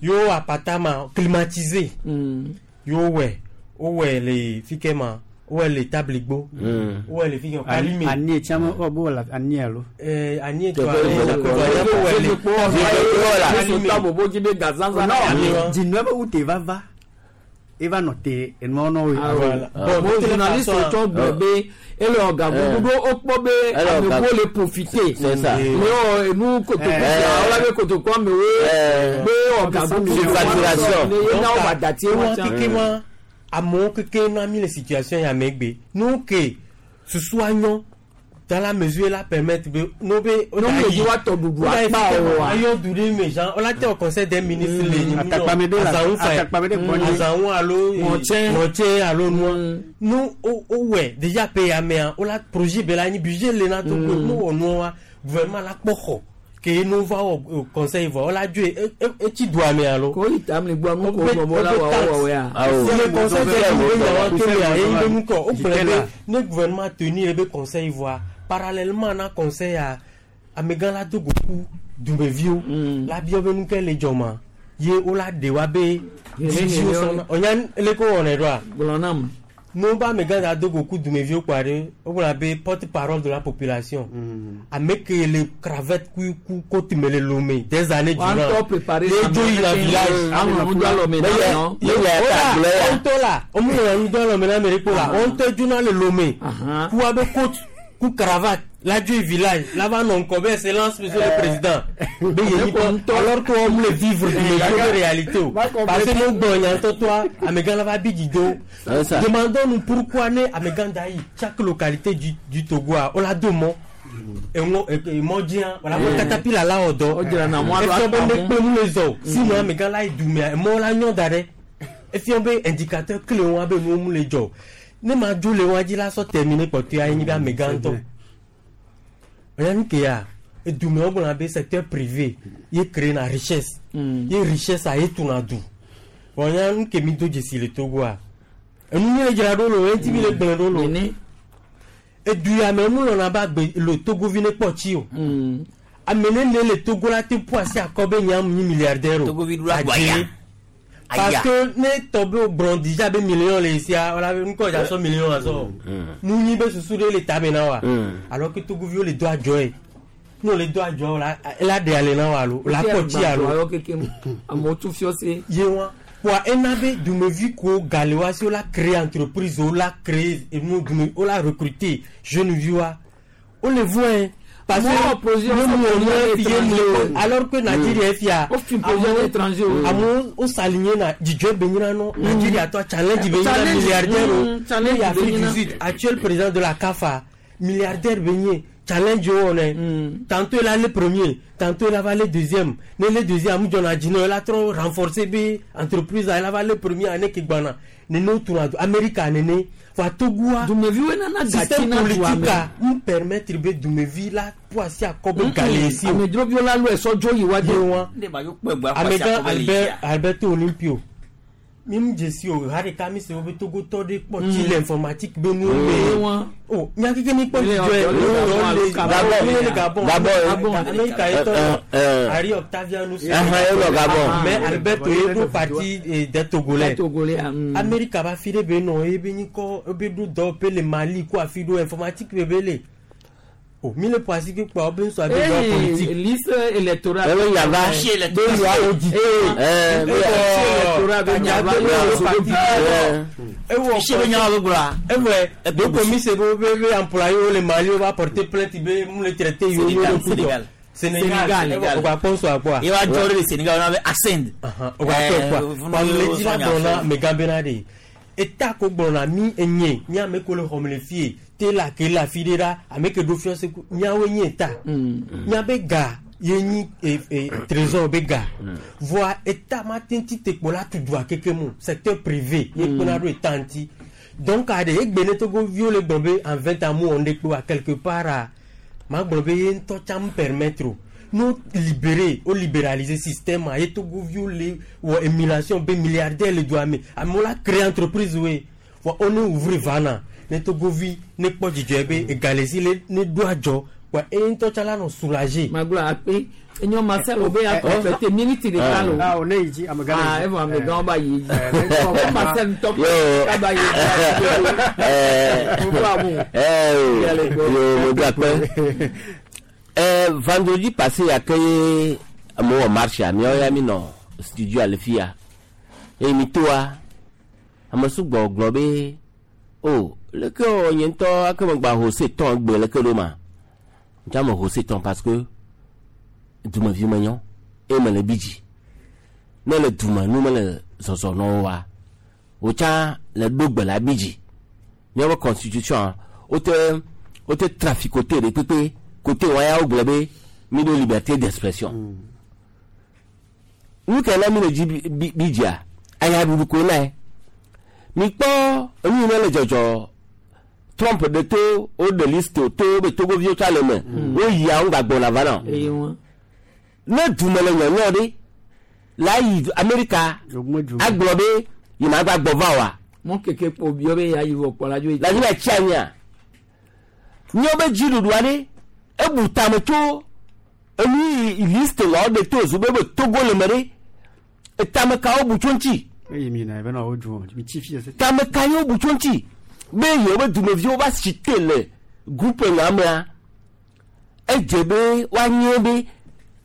yewo apatama climatisé yewo wɔe wowɔe le fi ke ma wowɔe le Tabligbo, wowɔe le fi ke Kalime. Ani etsame wɔ bo la ani alo. Ani etɔ ale wowɔe le. Non, dzinua be wute va va eva nɔ te enua nɔ wo. Bon, journaliste tsɔ gblɔ be ele ɔga gbogbo ɖo wokpɔ be amewo le profiter le wɔ enu kotoku sia wola be kotoku amewo be ɔga gbogbo ye na wo ba dati wa keke ma amewo keke na mi le situation ya megbe nu ke susua nyɔ dans la mesure la permettre be no be. No me yi wa tɔ ɖuɖu akpa o wa. Ayɔ du ɖe me jean wòle te conseil des ministres le Atakpame ɖe la azãwu fa atakpame ɖe gbɔ nye. Azãwu alo Ŋɔtsɛ. Ŋɔtsɛ alo nua nu o wɛ déjà pe amea wòle projet be la anyi budget le na to ko nu wɔ nua wa gouvernement la kpɔ xɔ ke nu va wɔ conseil vɔ wòle adzoe etsi dua me alo. Ko yi tam le gbɔ nu ko gbɔ la wɔ wɔ ya. Si le conseil des ministres be nyawa to mea ye be nu kɔ o gblɔ be ne gouvernement tenir be conseil voa parallèlement na conseil a amegã la do go ku dumeviwo la bia be nu ke le dzɔma ye wola ɖe wa be dzidziwo sɔna ɔnya leke wɔnɛ ɖoa. Gblɔ nam. No ba amegã la do go ku dumeviwo kpa ɖe wogblɔna be porte parole de la population ame ke le cravate ku ku kote me le Lomé des années durant Wa ŋutɔ préparé ye dzo yina village. Aŋlɔ nu do alɔme na nɔ. Ye wola ŋutɔ la womu nu do alɔme na ame ɖe kpo la wo ŋutɔ dzona le Lomé ku wa be cote ku cravate la dzo yi village la va nɔ ŋkɔ be excellence monsieur le président be ye nyi kɔ alors que wɔn le vivre dumeviwo be réalité o parce que no gbɔ nyantɔtɔa amegã la va bi dzi do. Demandons-nous pourquoi ne amegã da yi chaque localité du Togo a wola do mɔ eŋɔ emɔ dzia wala ko katapila la wɔ dɔ efia be ne kpe nu le zɔ o sinon amegã la yi dumea emɔ la nyɔ da ɖe efia be indicateur clé wa be nuwo mu le dzɔ ne ma dzo le wa dzi la sɔ terminer kpɔtɔe anyi be amegã ŋutɔ ɔya nu ke ya edume wo gblɔna be secteur privé ye créer na richesse ye richesse a ye tuna du ɔya nu ke mi do dzesi le Togoa enu mi le dzra ɖo lo eŋuti mi le gblẽ ɖo lo edu ya me mu lɔna be agbe le Togovi ne kpɔ tsi o ame ne ne le Togo la te ƒu asi akɔ be nya mu nyi milliardaire o. Togovi ɖo la gbɔ ya. Parce que ne tɔ be o gblɔ déjà be million le sia wala be ŋkɔ dza sɔ million azɔ. Nu nyi be susu ɖe le tame na wa. Alors que Togoviwo le do adzɔ ye. Ne wole do adzɔ la, ela ɖe ale na wa alo la kpɔ tsi alo. Amewo tso fiɔ se. Ye wa. Wa ena be dumevi ko gale wa si wola créer entreprise wola créer enu dume wola recruter jeune vi wa. Wole vɔe. Parce que ne mu wɔ fi ye mu alors que Nigeria fia. O fi projet étranger o. Amewo wo s'aligner na dzidzɔ be nyina nɔ Nigeria tɔ challenge be nyina milliardaire o. Challenge Ne Afrique be du nyina. Sud actuel président de la CAF milliardaire be nye challenge wo wɔnɛ. Tantôt il a le premier, tantôt il va le deuxième. Ne le deuxième amu jɔna jinɛ il a trop renforcer be entreprise il va le premier année ki gbana. Nene o tuna Amerika nene wa Togoa. Dumeviwo nana gati système na dua politique me. a n permettre be dumevi la po asi akɔ be gale si o. Amedzroviwo la lo esɔ dzo yi wa de. Ye wa. Amegã Albert Alberto Olympio mi mu dzesi o ha ɖeka mi se wo be Togotɔ ɖe kpɔ tsi le informatique be nuwo me. O mía keke mi kpɔ dzidzɔ ye. Gabon. Gabon Gabon. Amerika ye tɔ Eh. Harry Octavianus. Ahan, ye nɔ Gabon. Mais Alberto ye ɖo parti des Togolais. Togolais. Amerika ba fi ɖe be nɔ ye be nyikɔ ebe ɖo dɔwɔƒe le Mali ko afi ɖo informatique be be le. O mi le ƒo asi ke kpɔ be ŋusɔ abe dɔwɔ politique. Liste électorale. Ebe nyava. Be nua audit. Eh, be électorale be nyava. Ewɔ Fichier be nyawo be gblɔa. Ewɔ donc mi se be be be employé wo le Mali wo va porter plainte be mu le traité yewo Sénégal, yewo ɖo Sénégal. Sénégal. Sénégal. O gba sponsor akpɔa. Ye wa dzɔ ɖe le Sénégal wona be Ascend. O gba tɔ kpɔa. Wa le dzi la gblɔ na megã bena ɖe. Eta ko gblɔna mi enye mi ame ko le xɔme le fie te la ke le afi ɖe ɖa ame ke ɖo fiɔ se ku miawoe nye eta. Miabe ga ye nyi e e trésor be ga. Voa eta ma te ŋuti te kpɔ la tu dua keke mu secteur privé ye kpena ɖo eta ŋuti. Donc aɖe egbe ne Togoviwo le gblɔ be en 20 ans mu wɔ ŋɖe kpe wa quelque part a ma gblɔ be ye ŋutɔ tsã mu permettre o. No libérer o libéraliser système a ye Togoviwo le wɔ émulation be milliardaire le dua me amewo la créer entreprise woe vɔ wo ne ouvrir vana ne Togovi ne kpɔ dzidzɔe be egalesi le ne ɖo adzɔ wa eye ŋutɔ tsã la nɔ soulager. Magblɔ akpe enyo Marcel obe ya complété minute ɖeka lo. Ah, o ne yi dzi amegã le Ah, dzi. evɔ amegãwo ba yi dzi. Eh, Ko Marcel ŋutɔ Yo. kaba yi dzi. Gbogbo amu. Eh, yo, mo do akpe. Eh, vendredi passé ya ke ye amewo wɔ marche miawo ya mi nɔ studio le fi ya eye mi toa ame sugbɔ gblɔ be o leke wɔ nye ŋutɔ ake megba ho se tɔn gbe leke ɖo ma ŋutsa me ho se tɔn parce que dumevi menyɔ eye mele bi dzi ne le dume nu mele zɔzɔ nɔ wo wa wòtsã le ɖo gbe le abi dzi míaƒe constitution wote wote traficoté ɖe kpekpe kote wa ya wogblɔ be mi ɖo liberté d'expression nu ke na mi le dzi bi- bi bi dzia ayaɖuɖu koe na ye mi kpɔ enu yi ne le dzɔdzɔ Trump ɖe to woɖe list o to be Togoviwo tsa le me woyia wo gbagbɔna va na o Eye wa. ne dume le nyɔnyɔ ɖe la yi Amerika agblɔ be yi ma gba gbɔ va oa Mɔ keke kpo biɔ be ya yi vɔ kpɔ la dzo yi. la dzi va tsi anyia míawo be dziɖuɖu aɖe ebu tame tso enu yi list la woɖe to zu be be Togo le me ɖe etame kawo bu tso ŋuti Eye mi na ebe na wo dzu mi tsi fi ese. tame ka yewo bu tso ŋuti be yewo be dumeviwo va si te le groupe ŋa mea edze be woanye be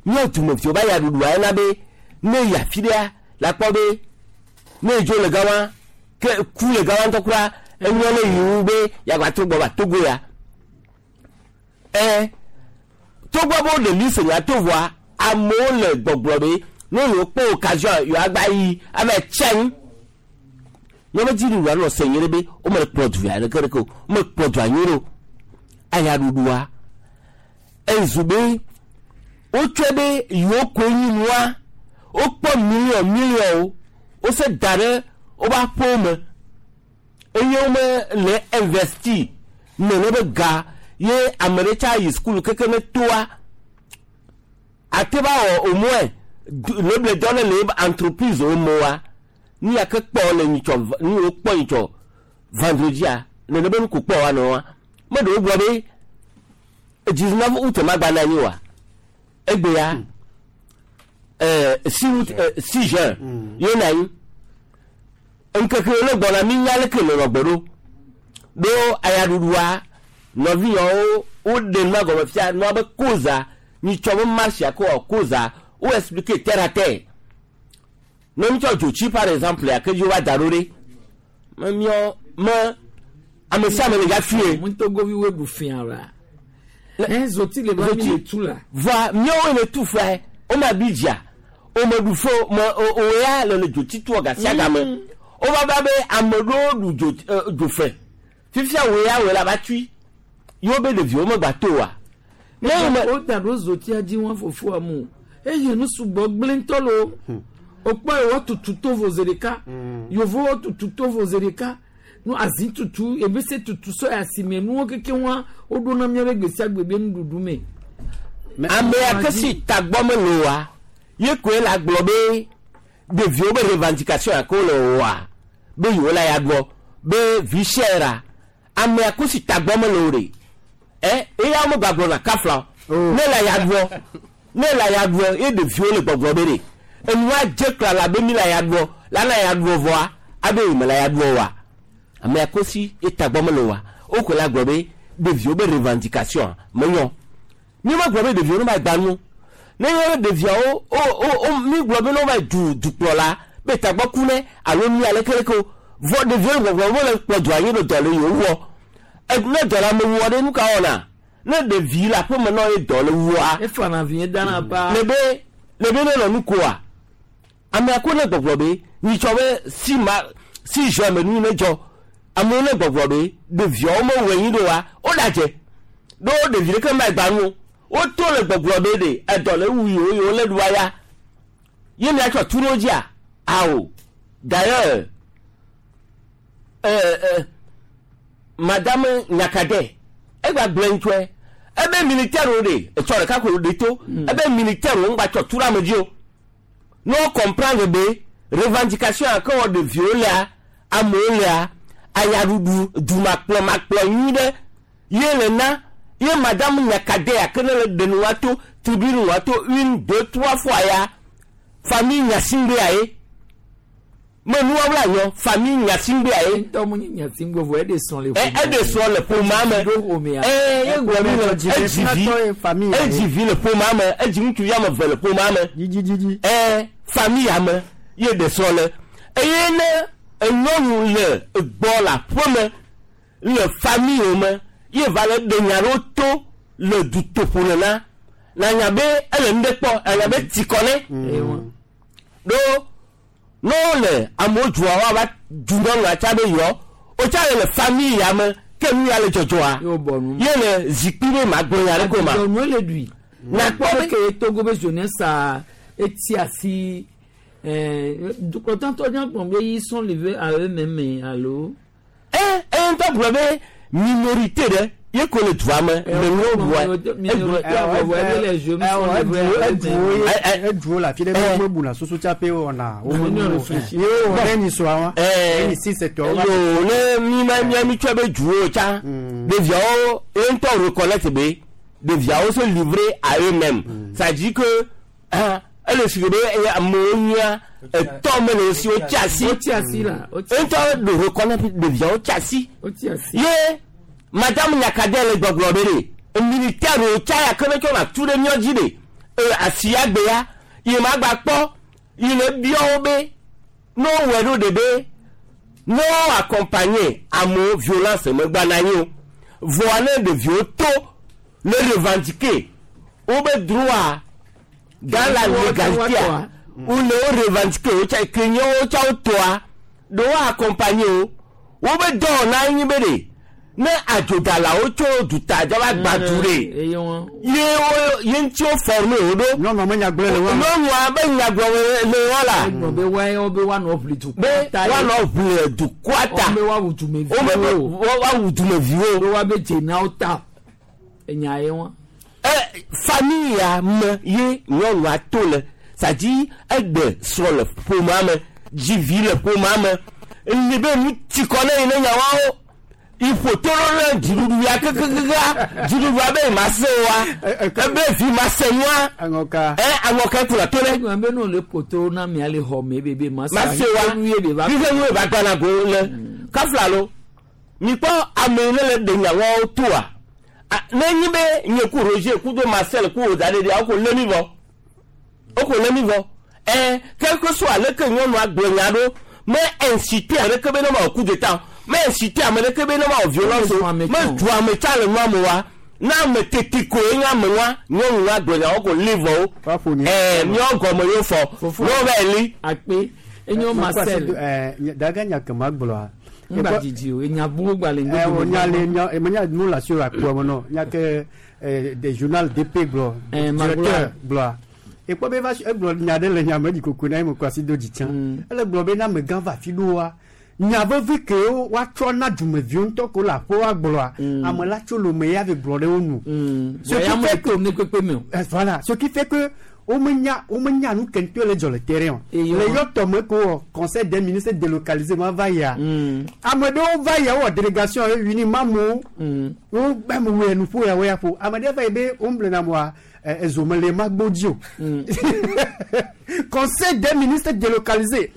míawo dumeviwo va ya ɖuɖua yena be ne yi afi ɖea la kpɔ be ne edzo le gama ke ku le gama ŋutɔ kura enyɔ ne yi wu be yagba to gbɔ va Togo ya ɛ togbɔ be woɖe liste nya to vɔa amewo le gbɔgblɔ be ne yewo kpɔ occasion yewo agba yi ava tsi anyi míaƒe dziɖuɖua nɔ se nyuie ɖe be wome kplɔ du ya ɖeke ɖeke o wome kplɔ dua nyuie ɖe o ayaɖuɖua ezu be wotsɔe be yewo koe nyi nua wokpɔ miliɔn miliɔnwo wose da ɖe woƒe aƒewo me eye wome le investi nene be ga ye ame ɖe tsa yi sukulu keke ne toa ate va wɔ au moins leble dɔ ne le ebe entreprise wo me wa nu ya ke kpɔ le nyitsɔ nu yiwo kpɔ nyitsɔ vendredia nene be nu ko kpɔ wa nɔ wa me ɖewo gblɔ be 19 août ma gba na anyi wa egbe ya 6 août 6 juin ye na anyi. Ŋkeke le gbɔna mi nya leke le nɔgbe ɖo. Ɖo ayaɖuɖua nɔvinyɔwo woɖe nua gɔme fia nua be koza nyitsɔ be marche ko wɔ koza wo expliquer terre à terre. Ne mi tsɔ dzotsi par exemple ya ke dzi wa da ɖo ɖe. Me miɔ me ame sia ame le dza fie. Togovi wo ɖu fia la. Ɛ zoti le ba mi le tu la. Voa miawo le tu fia wo ma bi dzia o me ɖu fo me o o ya le le dzotsi tuɔ gasia game. O va ba be ame ɖewo ɖu dzo dzofe. Fifia wo ya wo la va tui. Yewo be ɖeviwo megba to oa. Ne wo da ɖo zotia dzi wɔn fofoa mu eye nu sugbɔ gblẽ ŋutɔ lo. O kpɔ ye woatutu tovo zi ɖeka. Yevowo woatutu tovo zi ɖeka. Nu azi tutu ebese tutu sɔ ya si me nuwo keke wa woɖo na míaƒe gbe sia gbe be nuɖuɖu me. Ame ya ke si tagbɔ mele oa, ye koe la gblɔ be ɖeviwo be revendication ya ke wole wɔa be yewo la ya gbɔ be vie chère ame ya ko si tagbɔ mele o ɖe ɛ eya wo megba na kafla o ne la ya gbɔ ne la ya gbɔ ye ɖeviwo le gbɔgblɔ be ɖe enua dze klala be mi la ya gbɔ la na ya gbɔ vɔa abe yi me la ya gbɔ oa ame ya ko si ye tagbɔ mele oa wo koe la gblɔ be ɖeviwo be revendication menyɔ mi ma gblɔ be ɖeviwo ne ma gba nu ne ye ɖeviawo o o o mi gblɔ be ne wo va du dukplɔla be tagbɔ ku ne alo nu ale keleke o vɔ ɖeviwo le gbɔgblɔ wo le kplɔ dua anyi ɖo dɔ le yewo wɔ ne dɔ le ame wɔ ɖe nu ka wɔna ne ɖevi le aƒeme nɔ ye dɔ le wua Efana vi dana pa. le be le be ne nɔ nu koa amea ko ne gbɔgblɔ be nyitsɔ be si ma si juin me nu ne dzɔ amewo ne gbɔgblɔ be ɖeviawo mewɔe nyi ɖo wa wo ɖadze ɖo ɖevi ɖeke ma gba nu o woto le gbɔgblɔ be ɖe edɔ le wu yewo yewo le ɖua ya ye miatsɔ tu ɖo dzia awo d'ailleurs madame Nyakade egba gblẽ ŋutɔe ebe militaire wo ɖe etsɔ ɖeka ko ɖe to ebe militaire wo ŋgba tsɔ tu ɖe ame dzi o ne wo comprendre be revendication ya ke wɔ ɖeviwo lea amewo lea ayaɖuɖu dumakplɔ makplɔ nyui ɖe ye le na ye madame Nyakade ya ke ne le ɖe nu wa to tribune wa to une, deux, trois fois ya famille Gnassingbé ye me nuwa wla yɔ famille Gnassingbé ye. Ŋutɔ mu nye Gnassingbé vɔ eɖe sɔn le ƒome. Eɖe sɔn le ƒomea me. Ee ye gblɔ mi le edzi vi edzi vi le ƒomea me edzi ŋutsuvi ame eve le ƒomea me. Ee famille ya me ye ɖe srɔ̃ le eye ne enyɔnu le gbɔ le aƒeme le famille me ye va le ɖe nya ɖewo to le dutoƒo nena na nya be ele nu ɖe kpɔ anya be ti kɔ ne ɖo ne wole amewo dua woava du nyɔnua tsa be yɔ wotsa le le famille ya me ke nu ya le dzɔdzɔa ye le zikpui ɖe ma gblɔ nya ɖe ko ma. Adidɔnu le ɖui. Na kpɔ be ke Togo be jeunesse a eti asi dukɔtɔtɔ nya gblɔ be ils sont livrés à eux-mêmes alo. Ɛ ɛ ŋutɔ gblɔ be minorité ɖe ye ko le dua me le nuwo ɖua. Eduwo le afi ɖe be womebuna susu tsaƒe wɔna ye wowɔ ɖe nyi sɔa wa ye nyi si setɔ yo ne mi ma mia mi tsɔ be duwo tsa ɖeviawo ye ŋutɔ reconnaître be ɖeviawo se livrer à eux-mêmes, ça dit que ah, ele si be amewo nyia etɔ me le si wotsi asi wotsi asi la ŋutɔ ɖo reconnaître ɖeviawo tsi asi wotsi asi ye madame Nyakade le gbɔgblɔ be ɖe militaire wo tsa ya ke ne tsɔ na tu ɖe míɔ dzi ɖe asi ya gbe ya yi ma gba kpɔ yi le biɔ wo be ne wowɔe ɖo ɖe be ne wo accompagner amewo violence megba na anyi o vɔa ne ɖeviwo to le revendiquer wo be droit dans la légalité wo le wo revendiquer wo tsa ke nye wo tsa wo toa ɖe wo accompagner wo wo be dɔwɔna anyi be ɖe ne adzodalawo tso duta dza va gba du ɖe ye wo ye ŋuti wo former wo ɖo. Nyɔnua me nyagblɔ le wa. Nyɔnua be nyagblɔ le wa la. Be wa be woanɔ ʋli dukɔa be ta. Woanɔ ʋli dukɔa ta. Be woawu dumeviwo. Woawu dumeviwo. Be woabe dzenawo ta enya ye wa. Ɛ famille ya me ye nyɔnua to le sadi egbe srɔ̃ le ƒomea me dzi vi le ƒomea me li be nu ti kɔ ne yi ne nyawawo. Iƒo to ɖo ne dziɖuɖu ya kekekekea dziɖuɖua be ma se wa ebe vi ma se nua aŋɔka ɛ aŋɔka kplɔ to ɖe. Egblɔ be ne wòle ƒo to na mia le xɔ me bebe ma se ma se wa nu ye be va. Fife nu ye ba gbana go le kafla lo mikpɔ ame yi ne le ɖe nyawoawo toa ne nyi be nye ku Roger ku do Marcel ku wòda ɖe ɖia woko lé mi vɔ woko lé mi vɔ ɛ quelque soit leke nyɔnua gblɔ nya ɖo me incité ame ɖeke be ne ma wɔ coup d'état o me incité ame ɖeke be ne ma wɔ violence o me du ame tsa le nua me wa na ame tete koe nye ame nua nyɔnu la gblɔ nya woko lé vɔ wo ɛ miawo gɔme yewo fɔ ne wo va yi li. Akpe enyo Marcel. Daga nya ke ma gblɔa. Ŋgba dzidzi o enya bu gba le ŋgɔ. O nya le nya eme nu la si o akpɔ me nɔ nya ke des journal DP gblɔ directeur gblɔa. Ekpɔ be va egblɔ nya ɖe le nya me dzi koko na eme kɔ asi do dzi tsã. Ele gblɔ be na amegã va afi ɖoa nya vevi kewo woatsɔ na dumeviwo ŋutɔ ko le aƒewoa gblɔa ame la tso lome ya ve gblɔ ɖe wo nu. Ce qui fait que ne kpekpe me o. Voilà, ce qui fait que womenya womenya nu ke ŋutɔ le dzɔ le terrain o. Le yɔ tɔme ko wɔ conseil des ministres délocalisé ma va yia. Ame ɖewo va yia wowɔ délégation ye uni mamu wo gba me wɔ nuƒo ya wo ya ƒo. Ame ɖe va yi be wo ŋblɔna moa ezo mele ma gbo dzi o. Conseil des ministres délocalisé.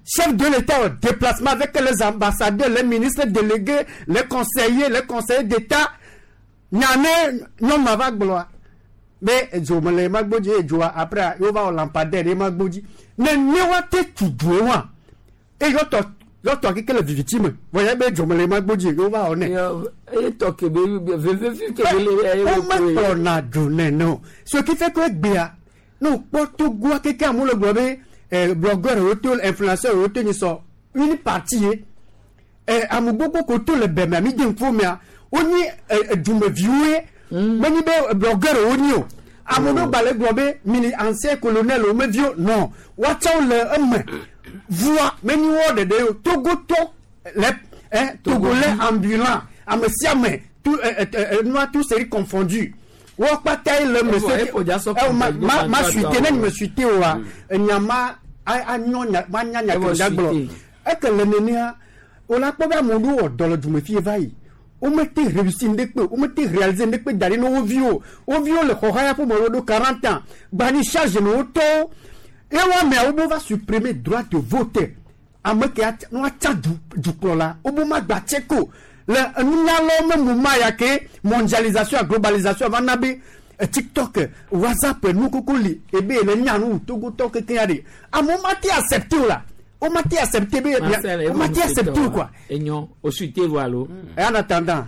Chef de l'État au déplacement avec les ambassadeurs, les ministres délégués, les conseillers d'État. Nyane nyɔnua va gblɔa be edzo mele ma gbo dzi edzoa après yewo va wɔ lampadaire ɖe ma gbo dzi. Ne ne woate tu due wa eye yɔtɔ yɔtɔ keke le viviti me vɔ ya be edzo mele ma gbo dzi yewo va wɔ nɛ. Eye tɔ ke be veve fi ke be le. Womekplɔna du nene o. Ce qui fait que egbea ne wokpɔ Togoa keke amewo le gblɔ be blogueur wo to influenceur wo to nyi sɔ une partie ye ame gbogbo ko to le bɛmea mi de ŋkuwo mea wonyi dumeviwo ye menyi be blogueur wonyi o. Ame ɖewo gba le gblɔ be mini ancien colonel wo meviwo non woatsɛwo le eme vua menyi wo ɖeɖe o Togotɔ le Togolais ambulant ame sia ame tout nua tout série confondu wo kpata ye le eme se ma suite ne me suite oa enya ma anyɔ nya ma nya nya ke da gblɔ eke le nenea wola kpɔ be ame ɖewo wɔ dɔ le dume fie va yi womete réussi ŋɖe womete réaliser ŋɖe da ɖi ne wo viwo wo viwo le xɔ haya ƒome wo ɖo 40 ans gbani charge ne wo tɔwo ye wo ameawo bo va supprimer droit de vote ame ke ne woatsa dukplɔla wo bo ma gba tse ko le enunyalawo me mu ma ya ke mondialisation globalisation va na be TikTok WhatsApp nu koko li ebe le nya nu Togotɔ keke ya ɖe amewo ma te accepter o la. On m'a été accepté, on m'a été accepté ou quoi? Enyo, au suite voilà. Et en attendant.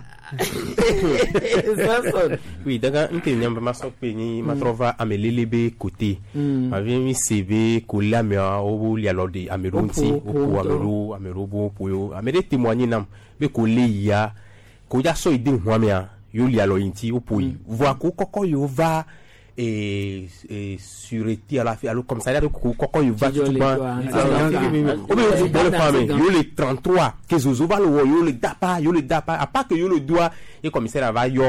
Oui, donc nke nyamba ma sokpe ni ma trova amelele be côté. Ma vient mi sebe ko la me o li alors de ameronti o ko amero amero bo po amere témoigner nam be ko le ya ko ja so ide ho me a yo li alors inti o po voit ko koko yo va et sûreté à la fi alors comme ça koko yo va tout ban o be yo le femme yo le 33 que zozo va le yo le dapa à part que yo le doigt et commissaire va yo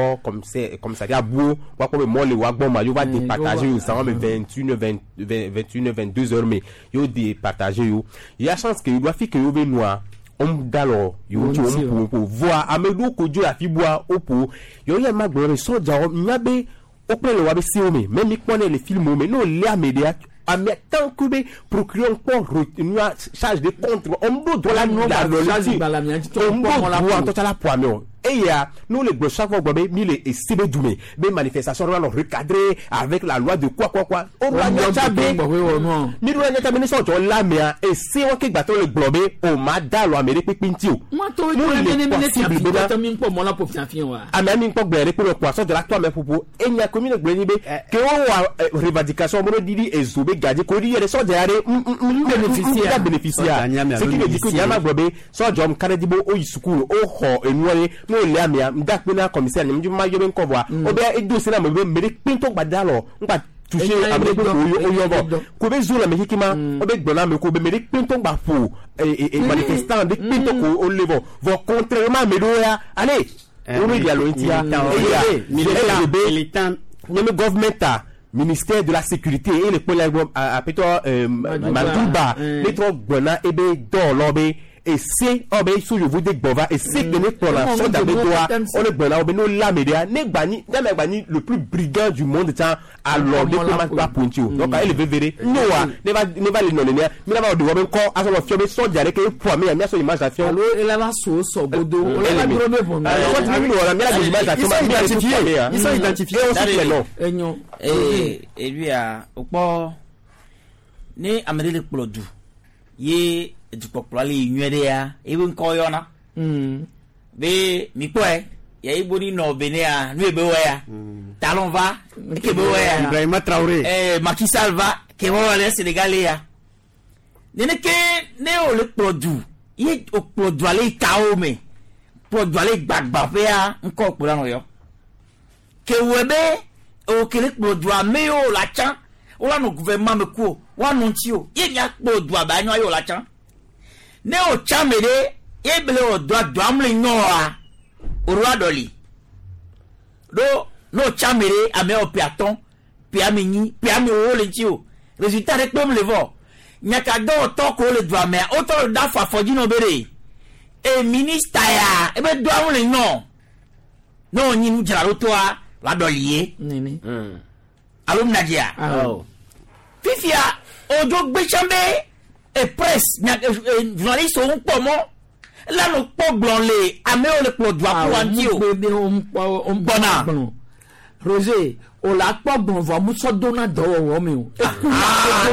commissariat bo wa ko be mo le wa gbon ma yo va départager yo ça va 21 21 22 heures mais yo départager yo il y a chance que yo doit fi que yo be noir on d'alors yo tu on pour voir amedo kojo afi boa opo yo ye ma gbon soja nya be opre le wabe si ome même mi kpɔnɛ le film ome n'o le ame de ame tant que be procureur kpɔ nua charge de compte on do droit la la on do droit tɔtsa la po ame o eya nous le gbɔ chaque fois gbɔ be mi le esi be dume be manifestation doit le recadrer avec la loi de quoi quoi quoi o la nyatsa be mi do la nyatsa be ne sɔjɔ la mea esi wɔn ke gbàtɔ le gblɔ be o ma da lɔ ame ɖe kpekpe ŋuti o. Nous le ame mi kpɔ gblẽ ɖe kpe kɔ sɔjɔ la tɔ ame ƒoƒo enya ko mi le gblẽ ni be ke wo wɔ revendication mo ɖi ezo be gadzi ko ɖi yɛ ɖe sɔdza ya ɖe bénéficiaire bénéficiaire ce qui veut dire que nyama gblɔ be sɔdzɔ mu kaɖe di be o yi sukulu o xɔ enua ye n'o le amea ŋdakpe na commissaire nyɛ ma yɔ be ŋkɔ vɔa o bɛ edo se na me be me ɖe kpɛntɔ gba da lɔ ŋgba touché ame ɖe kpe o yɔ vɔ ko be zo le ame keke ma o be gblɔ na ame ko be me ɖe kpɛntɔ gba ƒo manifestant ɖe kpɛntɔ ko o le vɔ vɔ contrairement ame ɖewo ya allez o be dialo ŋutia eya nye government ministère de la sécurité et le pôle à plutôt Madouba les trois gbɔna ebe dɔwɔlawo be Ese ɔ be so yovo de gbɔ va ese ke ne kplɔna sɔdza be doa wole gblɔna wo be ne wolé ame ɖea ne gba nyi ne ame gba nyi le plus brigand du monde tsã alɔ ɖe kpe ma va ƒo ŋuti o donc ele veve ɖe noa ne va ne va le nɔ nenea mi la va wɔ ɖe wɔbe ŋkɔ azɔ nɔ fiɔ be sɔdza ɖe ke ƒo ame ya miasɔ image la fiɔ. Alo ela va so sɔ godo wole va dro be ʋɔnu. Sɔdza mi wɔ la mi la do image la fiɔ ma mi la ƒo ame ya. Ils sont identifiés. Et on cite les noms. Enyo. Ee eluia wokpɔ ne ame ɖe le kplɔ du ye dukpɔkplɔ le yi nyuie ɖe ya ebe ŋkɔ yɔna. Be mikpɔe yayi boni nɔ Benin nu ye be wɔ ya Talon va eke be wɔ ya Ibrahima Traoré. Macky Sall va ke wɔ le Sénégal ya nene ke ne wo le kplɔ du ye o kplɔ dua le kawo me kplɔ dua le gbagbaƒea ŋkɔ kplɔ la nɔ yɔ ke wɔ be o ke le kplɔ dua me wo la tsã wo la nɔ gouvernement me ku o wa nɔ ŋuti o ye mia kplɔ dua ba nyɔ ye wo la tsã ne o tsã me ɖe ye bele wɔ dua dua mu le nyɔa o ɖo aɖɔli ɖo ne o tsã me ɖe amewo ƒe atɔ̃ ƒe ame nyi ƒe ame wo le ŋuti o résultat ɖe kpem le vɔ nyakadɔwɔtɔ ko le dua mea wotɔ le da afɔ afɔdzi nɔ be ɖe e minista ya ebe dua mu le nyɔ ne wònyi nudzraɖotɔa la ɖɔli ye alo mnadzia fifia odzo gbetsã be e presse nya e journaliste wo ŋkpɔ mɔ la no kpɔ gblɔ le amewo le kplɔ dua kó wa ŋuti o gbɔna Roger o la kpɔ gbɔn vɔ musɔ dona dɔwɔwɔ mi o.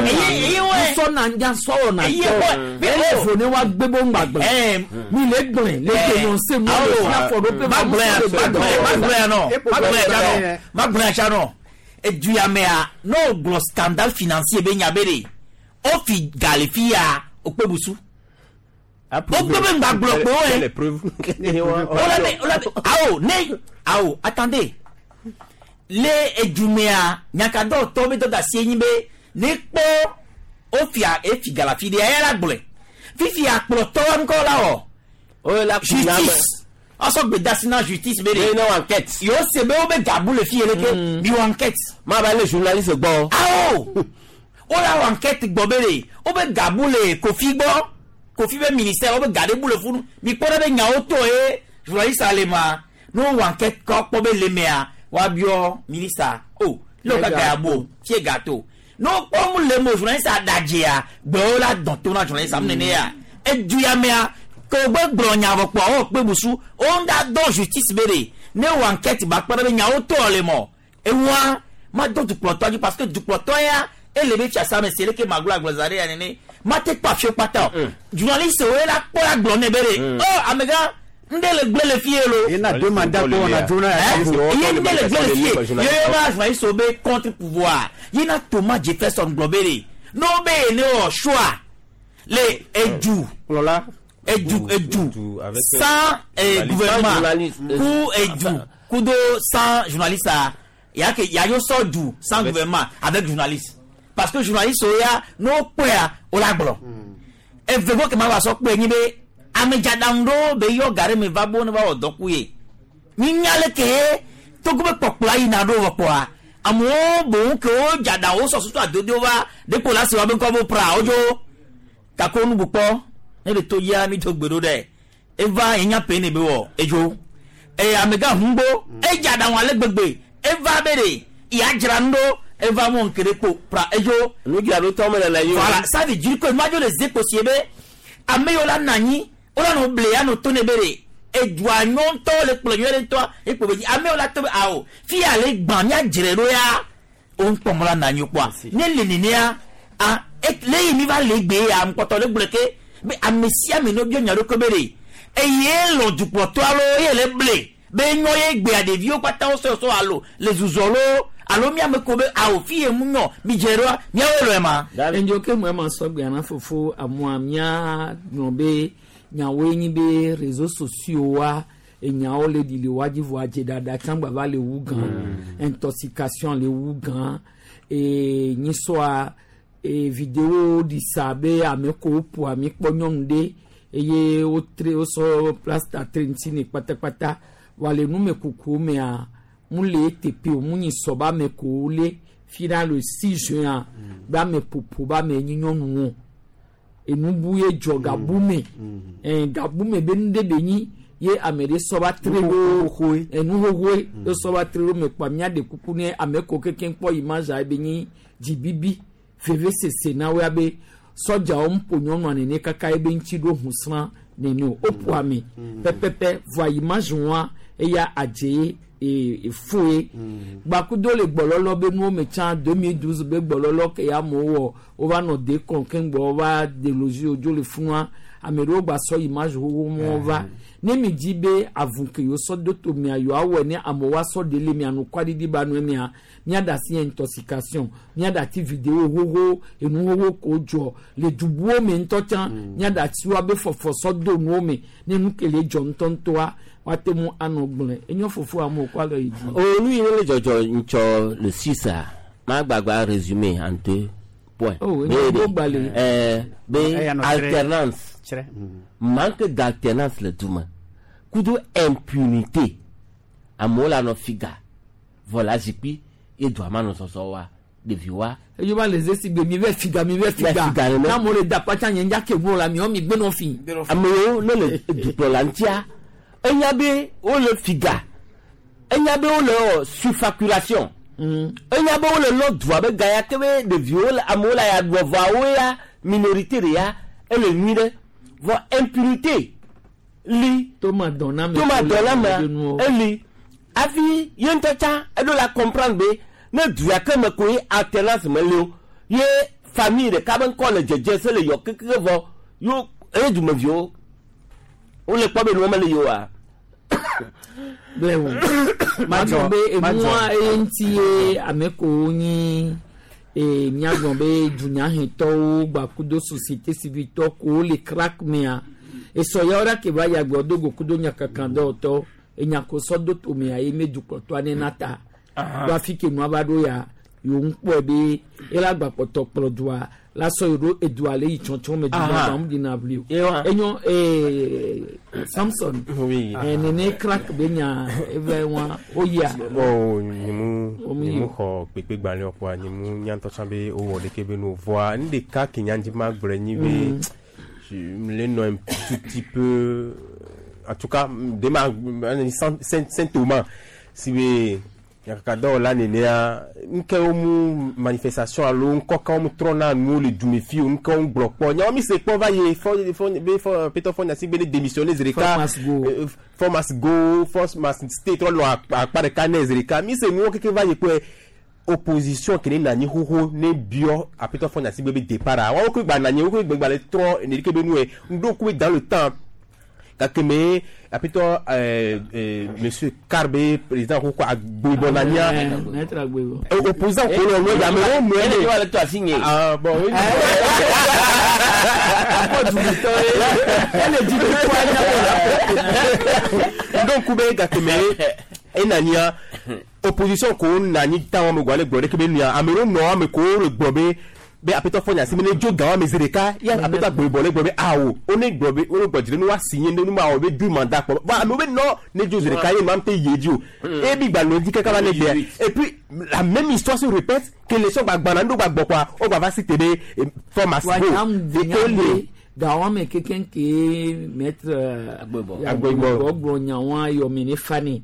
Musɔ na nya sɔwɔ na tɔ ele fo ne wa gbé bo ŋgba gblẽ mi le gblẽ le dénoncer mu le fia fɔ ɖo pe va musɔ le gbé dɔwɔwɔ. Ma gblẽ atsa nɔ edu ya mea n'o gblɔ scandale financier be nya be de o fi ga le fi ya o kpe busu. O kpe be ŋgba gblɔ kpo ye. O la be awo ne awo attendez. Le edumea nyakadɔtɔ be dɔda si enyi be ne kpɔ ofia efi galafi de eya la gblɔe fifia kplɔtɔ ŋkɔ la wɔ justice ɔsɔ gbedasi na justice be de ne wɔ enquête yewo se be wo be gabu le fi yɛ leke mi wɔ enquête. Ma ba le journaliste gbɔ. Awo wo la wɔ enquête gbɔ be de wo be gabu le Kofi gbɔ Kofi be ministère wo be ga ɖe bu le funu mi kpɔ ɖe be nyawo tɔ ye journaliste ale ma ne wo wɔ enquête kɔ kpɔ be le mea wabiɔ minista o le wo kaka ya bo fie gâteau n'o kpɔ mu le mo journaliste adadzea gbewo la dɔn to na journaliste mu nene ya edu ya mea ke wo gbe gblɔ nya vɔ kpɔ wo kpe busu wo ŋda dɔn justice be de ne wɔ enquête ba kpɔ ɖe be nyawo tɔ le mɔ eŋua ma dɔn dukplɔtɔ dzi parce que dukplɔtɔ ya ele be fiasa me se leke maglo agblɔza ɖe ya nene ma te kpɔ afiwo kpata o journaliste wo la kpɔ la gblɔ ne be de ɔ amegã nde le gblẽ le fie lo. Yena deux mandats ko na journal. Ye nde le gblẽ le fie ye ba journaliste wo be contre pouvoir yena Thomas Jefferson gblɔ be de n'o be ne wɔ choix le edu edu edu sans gouvernement ku edu kudo sans journaliste a ya ke ya yo sɔ du sans gouvernement avec journaliste parce que journaliste wo ya n'o kpɔa o la gblɔ eve ko kema wa sɔ kpɔe nyi be amedzadaŋu ɖewo be yɔ ga ɖe me va bo ne va wɔ dɔku ye minya le ke togo be kpɔkplɔ yina ɖo vɔ kpɔa amewo boŋ ke wo dzadawo sɔ susu adodo va ɖekpo la si wa be ŋkɔ bo pra wodzo gake wo nubu kpɔ ne le to dzia mi do gbe ɖo ɖe eva yenya pe ne be wɔ edzo eye amegã ŋugbo edzadaŋu ale gbegbe eva be ɖe yadzra nu ɖo eva mo ŋke ɖe kpo pra edzo. Nudzraɖotɔ me le le yi o. Voilà, ça veut dire que madzo le zekpo sie be ame yiwo la nɔ anyi wole nɔ ble ya nɔ to ne be ɖe edua nyɔntɔ le kplɔ nyuie ɖe ŋutɔ ekpo be dzi ame yiwo la to be awo fi ya le gbã míadzre ɖo ya wo ŋkpɔmɔ la nɔ anyi kpɔa ne le nenea a le yi mi va le gbe ya ŋkpɔtɔ le gblɔ ke be ame sia ame ne biɔ nya ɖokui be ɖe eye lɔ dukplɔtɔ alo ye le ble be nyɔ ye gbea ɖeviwo kpata wo sɔsɔ alo le zuzɔ lo alo miame ko be awo fi ye mu nyɔ mi dze ɖoa miawoe lɔe ma. Endzo ke mu ema sɔgbe ana fofo amua mia gblɔ be nyawoe nyi be réseaux sociaux wa enyawo le ɖi le wa dzi vɔa dzeɖaɖa tsã gba va le wu gã intoxication le wu gã e nyisɔa e vidéo ɖi sa be ame ko ƒo ami kpɔ nyɔnu ɖe eye wotre wosɔ plasta tre ŋuti ne kpatakpata wa le numekuku mea mu le teƒe o mu nyi sɔ ba ame ko le fi ɖa le 6 juin be ame ƒoƒo ba ame nyi nyɔnuwo. Enubu ye dzɔ gabu me. Gabu me be nu ɖe be nyi ye ame ɖe sɔ va tre ɖo enu xoxoe ye sɔ va tre ɖo me kpɔa míaɖe kuku ne ame ko kekeŋ kpɔ image a be nyi dzibibi veve sese na woa be sɔdzawo ŋu ƒo nyɔnua nene kaka ye be ŋuti ɖo husrã nene o woƒo ame pɛpɛpɛ vɔa image wa eya adze ye efoe gbakudo le gbɔlɔlɔ be nuwo me tsã 2012 be gbɔlɔlɔ ke ya amewo wɔ wova nɔ de kɔn keŋ gbɔ wova delozi wodzo le funua ame ɖewo gba sɔ image xoxo mɔ va ne mi dzi be avu ke yewo sɔ do to mia yewoa wɔe ne amewo asɔ ɖe le mia nukwaɖiɖi ba nɔe mia miaɖe asi intoxication miaɖe ati video xoxo enu xoxo ko dzɔ le dubuwo me ŋutɔ tsã miaɖe asi wa be fɔfɔ sɔ do nuwo me ne nu ke le dzɔ ŋutɔŋutɔa woate ŋu anɔ gblɔe enyo fofo amewo kɔ alɔ yi dzi. O nu yi ne le dzɔdzɔ ŋtsɔ le sisa ma gbagba résumé en deux points. Oh, enyo Be- gbogbalẽ. be Eya nɔ tsre. alternance Tsre. manque d'alternance le dume kudo impunité amewo la nɔ figa vɔ la zikpui ye dua ma nɔ sɔsɔ wa ɖeviwoa eyo va le zesi gbe mi vɛ figa mi vɛ figa figa nene. n'amewo le da kpatsa nye ŋdza ke ŋu la miɔ mi gbe nɔ fi. amewo ne le dukplɔla ŋutia enya be wole figa enya be wole wɔ surfacturation enya be wole lɔ dua be ga ya ke be ɖeviwo le amewo le ya ɖua vɔawo ya minorité de ya ele nyui ɖe vɔ impunité li toma dɔn na me toma dɔn na me me eli hafi ye ŋutɔ tsã eɖo la comprendre be ne du ya ke me koe alternance me li o ye famille ɖeka be ŋkɔ le dzedze se le yɔ kekeke vɔ yo eye dumeviwo wole kpɔ be nuwo mele yi oa. Blewu magblɔ be enua eye ŋuti ye ame kowo nyi ee míagblɔ be dunyahetɔwo gbakudo société civile tɔ kowo le crack mea esɔ yawo ɖe ke va yi agblɔ do go kudo nyakakan dɔwɔtɔ enyako sɔ do tomea ye me dukplɔtɔa ne na ta do afi ke nua va ɖo ya yewo ŋu kpɔe be ela gbakpɔtɔ kplɔ dua la sɔ yi ɖo edua le yi tsɔtsɔ me dua Aha. gba ŋu ɖina ʋli o Yewa. enyo Samson nene crack be nya eve wa oyia Bon, nyemu Omi nyemu yi. xɔ kpekpegbalẽ kpɔa nyemu nya ŋutɔ tsã be wowɔ ɖeke be nu o. Vɔa nu ɖeka ke nya dzi ma gblɔe nyi be je le nɔ un tout petit peu en tout cas de ma Saint Thomas si be nyakakadɔwɔla nenea nukewo mu manifestation alo ŋkɔkawo mu trɔna nuwo le dumefi o nukewo mu gblɔ kpɔ nyawo mi se kpɔ va yi fɔ fɔ be fɔ Peter Fɔ Nyasi be ne démissionner zi ɖeka Force must go. Force must go, force must stay trɔ nɔ akpa ɖeka ne zi ɖeka mi se nuwo keke va yi kpɔe opposition ke ne na anyi xoxo ne biɔ Aƒetɔ Fɔ Nyasi be be départ a woawo ke gba na anyi woke gba le trɔ ne ɖeke be nu ye ŋɖo ku be dans le temps gake me Aƒetɔ monsieur Karbe président xoxo agbebɔ na nya Maître Agbebo. Opposant ko le ɔlɔ ame wo nɔe Ene wa le to asi nye. Ah bon oui. Akɔ dumetɔ ye ele dzi kpɔ anya wò donc kube gake me enania opposition ko nani tan wa me gba le gblɔ ɖeke be nua ame ɖewo nɔ ame ko le gblɔ be be Aƒetɔ Fɔ Nyasi me ne dzo gan wa me zi ɖeka ya Aƒetɔ Agbebɔ le gblɔ be awo wo ne gblɔ be wo ne gblɔ dzi ɖe ne wa si nye ne nu ma wɔ be du mandat kpɔ bon amewo be nɔ ne dzo zi ɖeka ye ma te yi edzi o ebi gba nɔ edzi kaka va ne gbea et puis la même histoire se répète que les sɔn gba gbana ŋɖo gba gbɔ kɔa wo gba va si te be force must wa go nyam et nyam que le be gawame keke ke maître Agbebɔ. Agbebɔ gblɔ nyawa yɔmi ne fani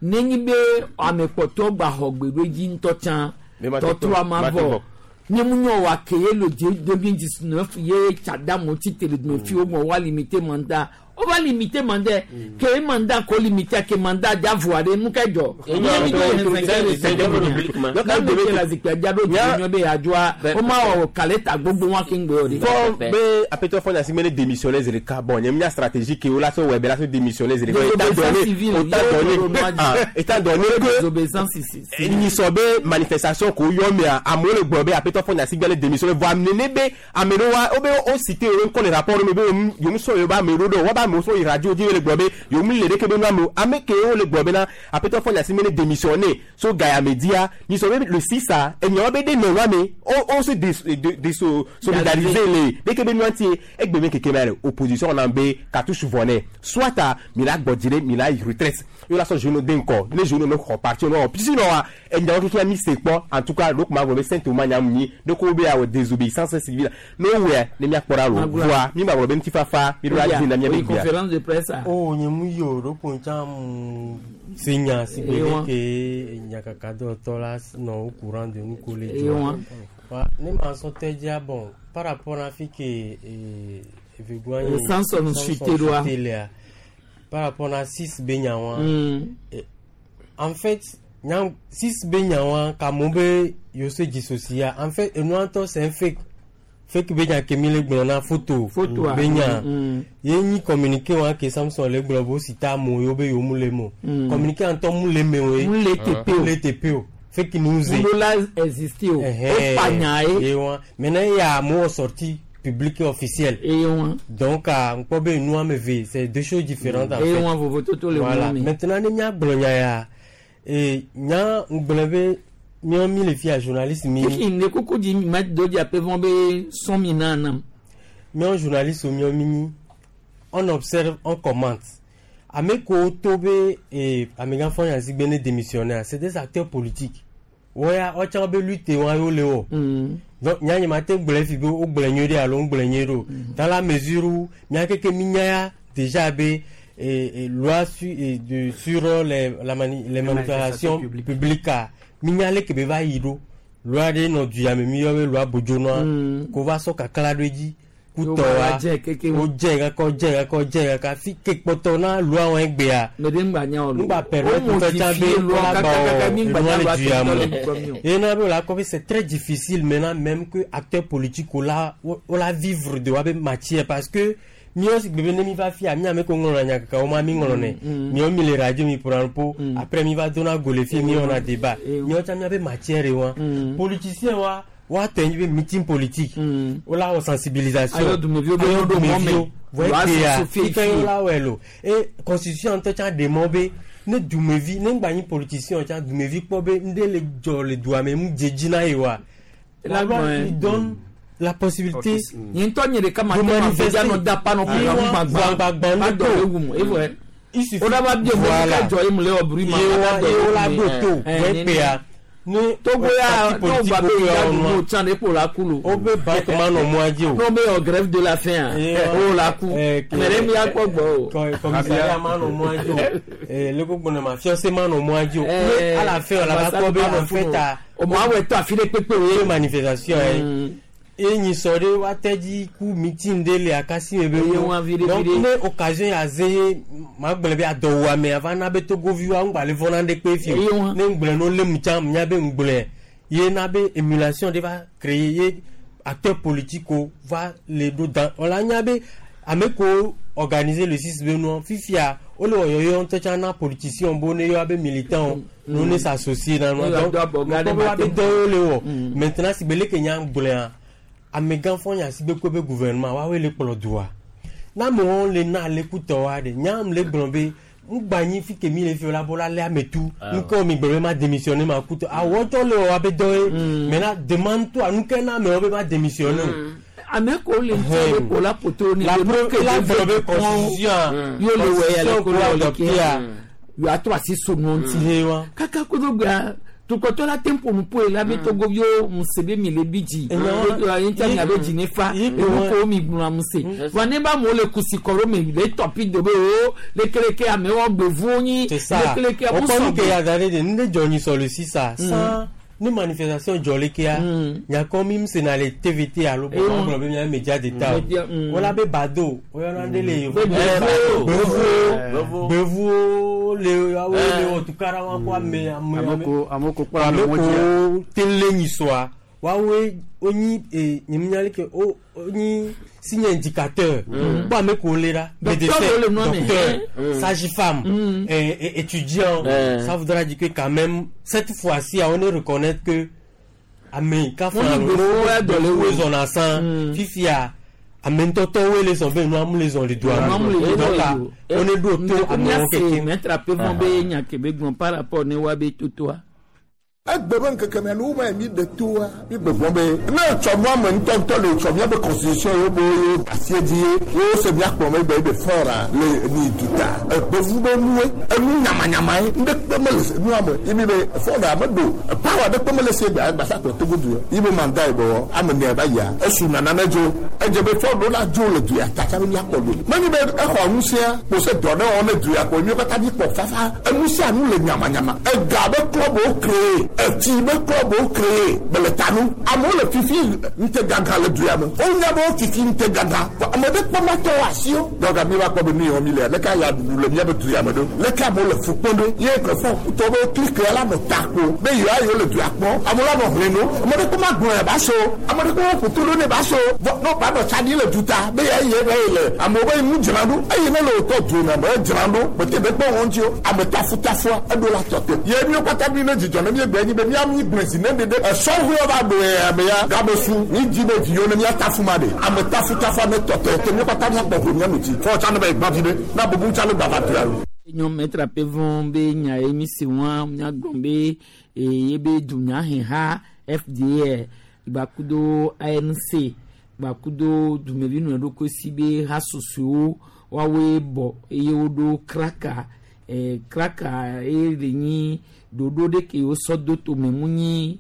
nenyi be ame kpɔtɔ gba xɔ gbe ɖo dzi ŋutɔ tsã Be ma te tɔtrɔ tɔ- ma ma te vɔ vɔ. nye mu nyɔ wa ke ye le 2019 ye tsadamu ti tele dume fi wo gbɔ wa limité mandat o va limité mandat ke mandat ko limité ke mandat dza voa ɖe nu ke dzɔ Enyo- nye mi do c'est- c'est public, ma. ne me ke la zikpui dza ɖo dzi nyɔ be yadzɔa o ma wɔ kaleta gbogbo wa ke ŋgbe o de. fɔ be Aƒetɔ Fɔ Nyasi me ne démissionner zi ɖeka bon nye mía stratégie ke wo la sɔ wɔ be la sɔ démissionner zi ɖeka étant Désobéissance donné civile, étant yo donné yo yo ah, étant donné que Désobéissance civile. nyisɔ be manifestation ko yɔ mea amewo le gblɔ be Aƒetɔ Fɔ Nyasi gbe le démissionner vɔ ame nene be ame ɖewo wa wo be wo cité wo ŋkɔ le rapport me be yewo sɔ yewo be ame ɖewo ɖe wo be amewo amewo sɔ yi radio dzi le gblɔ be yewo mi le ɖeke be nu amewo ame ke wo le gblɔ bena aƒetɔ Faure Gnassingbé ne démissionné so gayame dzia nyisɔ be le sisa enyawo be ɖe nɔ nua me wo wo se de de de so solidariser le ɖeke be nua ŋuti egbe me keke ma le opposition na be cartouche vɔ nɛ soit a mi la gbɔ dzi ɖe mi la yi retraite ye la sɔ jeune de ŋkɔ ne jeune ne xɔ parti ne wɔ sinon wa enyawo keke mi se kpɔ en tout cas ɖo kuma gblɔ be saint Thomas nya mu nyi ɖeko wo be awɔ désobéissance civile ne wowɔe ne miakpɔ ɖa lo voa mi gba gblɔ be ŋutifafa mi ɖo la dzi na miabe gbea. conférence de presse a. o nye mu yi o ɖo ko ŋtsa mu se nya si gbe ɖe ke nyakakadɔtɔ la nɔ au courant de nu ko le dzɔ wa ne ma sɔ tɛ dzia bon par rapport na fi ke evegua ye Samson chuté ɖoa lea par rapport na six be nya wa en fait nya six be nya wa ka mo be yo se dissocier en fait enua ŋutɔ c'est un fake fake be nya ke mi le gblɔ na photo photo be nya ye nyi communiqué wa ke Samson le gblɔ bo si ta amewo ye wo be yewo mu le me o communiqué ŋutɔ mu le me o ye mu le teƒe o mu le teƒe o fake news ye mu la existe o o pa nya ye ye wa maintenant ya amewo sorti public et officiel ye wa donc ŋkpɔ be nu ame eve c'est deux choses différentes en ye fait wa vovototo le voilà maintenant ne mía gblɔ nya ya e nya ŋgblɔ be míawo mi le fia journaliste mi. kiki ne kuku di ma do di ape vɔn be sɔn mi na nam. míawo journaliste míawo mi nyi on observe on commente ame kewo to be e amegã Faure Gnassingbé ne démissionnaire c'est des acteurs politiques woya wotsã be lutte wa yewo le wɔ. Donc nya nye ma te gblɔe fi be wogblɔe nyuie ɖe alo ŋgblɔe nyuie ɖe o dans la mesure où mía keke mi nya ya déjà be et loi su, et de, sur les, la mani, les manifestations publiques mi nya leke be va yi ɖo loi ɖe nɔ du ya me mi yɔ be loi bodzonɔa ko va sɔ kakla ɖo edzi kutɔwa wodze kaka wodze kaka wodze kaka fi ke kpɔtɔ na loi wɔn egbea ŋgba permettre tɔ tsã be wola gbɔ enua le du ya me ye na be wola kɔ be c'est très difficile maintenant même que acteur politique wola wola vivre de woabe matière parce que míawo si gbe be ne mi va fia mi ame ko ŋlɔna nya kaka wo ma mi ŋlɔnɛ míawo mi le radio mi ƒona nuƒo après mi va dona go le fie mi wɔna débat míawo tsã míabe matière wa politicien wa woatɔ nyi be meeting politique wola wɔ sensibilisation ayɔ dumeviwo be woɖo mɔ me vɔ egbea fike wola wɔe lo e constitution ŋutɔ tsã ɖe mɔ be ne dumevi ne ŋgba nyi politicien tsã dumevi kpɔ be ŋɖe le dzɔ le dua me ŋu dze dzi na ye wa la loi lui donne la possibilité. Nye ŋutɔ nye ɖeka ma te ma fɛ nɔ da pa nɔ kuku gbagbã ma dɔ le wum evɔ o da ba bie mo ka jɔ ye mu le wɔ buru ma ma dɔ ye la do to vɛ pea ne Togo ya n'o ba be ya du n'o can de k'o la ku lo. O bɛ banque ma nɔ mɔ dzi o. N'o bɛ yɔ grève de la faim o la ku mɛ mi ya kpɔ gbɔ o. Commissariat ma nɔ mɔ dzi o leko gbɔnɔ ma fiɔse ma nɔ mɔ dzi o. À la fin o la va kpɔ be en fait a. O ma wɛ to afi ɖe kpekpe o ye. Manifestation ye. Enyi sɔ ɖe woate dzi ku meeting ɖe le akasi me be wo donc ne occasion ya ze ye ma gblɔ be adɔwɔame ava na be togoviwoa ŋgba le vɔna ɖe kpe fi o ne ŋgblɔ no lé mu tsã nya be ŋgblɔe ye na be émulation ɖe va créer ye acteur politique va le ɖo dan wòla nya be ame kewo organiser le 6 be nua fifia wole wɔyɔyɔ ŋutɔ tsã na politicien bo ne yɔ abe militant no ne s'associer na nua donc ŋkpɔ be woabe dɔwo le wɔ maintenant si be leke nya gblɔa amegã Faure Gnassingbé ko be gouvernement woawoe le kplɔ dua na amewo le na ale kutɔwoa ɖe nyam le gblɔ be ŋgba nyi fi ke mi le fi la bɔ la lé ame tu nuke mi gblɔ be ma démissionner ma kutɔ awɔ tsɔ le wɔ abe dɔ ye maintenant demande toi nuke na amewo be ma démissionner o. Ame ko le ŋuti be ko la poto ni la preuve la gblɔ be constitution yo le wɔ ya le ko la le kia yo atrɔ asi so nua ŋuti kaka kodo gbea tukɔtɔ la te ƒo nuƒo yi la be togoviwo muse be mi le bi dzi ŋuti mia be dzi ne fa enu ko mi gblɔa muse wa ne ba amewo le kusi kɔ ɖo me le tɔpi do be o lekeleke amewo gbevuwo nyi lekeleke amu sɔgbɔ. O kɔni ke ya da ɖe de nu ɖe dzɔ nyi sɔ le sisa san ne manifestation dzɔ lekea nyakɔ mi muse na le TVT alo bɔn gblɔ be mia média d'état o wala be bado oyɔna ɖe le yevu gbevuwo gbevuwo le awo le wɔ tukara wa ko ame ame ame ko kpɔra le ame ko tele nyisɔa woawoe wonyi e nyeminya leke wo wonyi signe indicateur kpɔ ame ko le la médecin docteur sage-femme étudiant ça voudra dire que quand même cette fois-ci on ne reconnaître que ame ka fana lo wo zɔna san fifia. Ame ŋutɔtɔwoe le zɔn be nua mu le zɔn le doa me. Donc a, wo ne ɖo to amewo kekeŋ. Maître Apevon be nya ke be gblɔ par rapport ne woabe totoa. Egbe be ŋkeke mea nu ma mi ɖe toa mi gbɔgbɔ be ne etsɔ nua me ŋutɔŋutɔ le etsɔ miabe constitution ye wo ye asie dzi ye wo se miakplɔ megbe be fɔra le ni duta egbevu be nue enu nyamanyama ye ŋɖe mele nua me ye mi be fɔra me ɖo power ɖe kpe mele se gba gbasa kplɔ Togo du ye be mandat ye bɔ ame ne ba yia esu nana ne dzo edze be fɔra la dzo le du ya tatsa be miakpɔ do menyi be exɔ ŋusẽa kpo se dɔ ɖe wɔm ne du ya ko mi katã mi kpɔ fafa enu sia nu le nyamanyama ega be club wo créé etsi be club wo créé bele tanu amewo le fifi ŋute gãgã le du ya me wonya be wo fifi ŋute gãgã ame ɖe kpɔ matɔ asiwo donc mi va kpɔ be nu yɔ mi le leke ya ɖuɖu le miabe du ya me ɖo leke amewo le fu kpɔm ɖo ye kefɔ tɔ be clique la nɔ ta ko be yewoa yewo le du ya kpɔm amewo la nɔ hlẽ no ame ɖe kpɔ ma gblɔ ya ba so ame ɖe kpɔ ƒo to ɖo ne ba so vɔ ne ba nɔ tsa ɖi le duta be ya ye be le amewo be nu dzra ɖo eye ne le wotɔ du me be dzra ɖo bete be kpɔ wɔn dzi o ame tafutafua eɖo la tɔ te ye miwo katã mi ne dzidzɔ ne mi gbe nyi be mia mi gblẽ si ne ɖeɖe esɔʋuiwo va ɖo ya be ya gabe su mi dzi be viwo ne mia tafu ma ɖe ame tafutafua ne tɔ te te miwo katã miakpɔ ʋu mia nu dzi fɔ tsa ne be gbã vi ɖe na bubu tsa ne gbava du ya lo. Nyɔ Maître Apevon be nya ye mi se wɔn miagblɔ be eye be dunyaheha FDA gbakudo ANC gbakudo dumevi nɔ ɖokui si be ha susuewo woawoe bɔ eye woɖo kraka kraka eye le nyi ɖoɖo ɖe ke wosɔ do tome mu nyi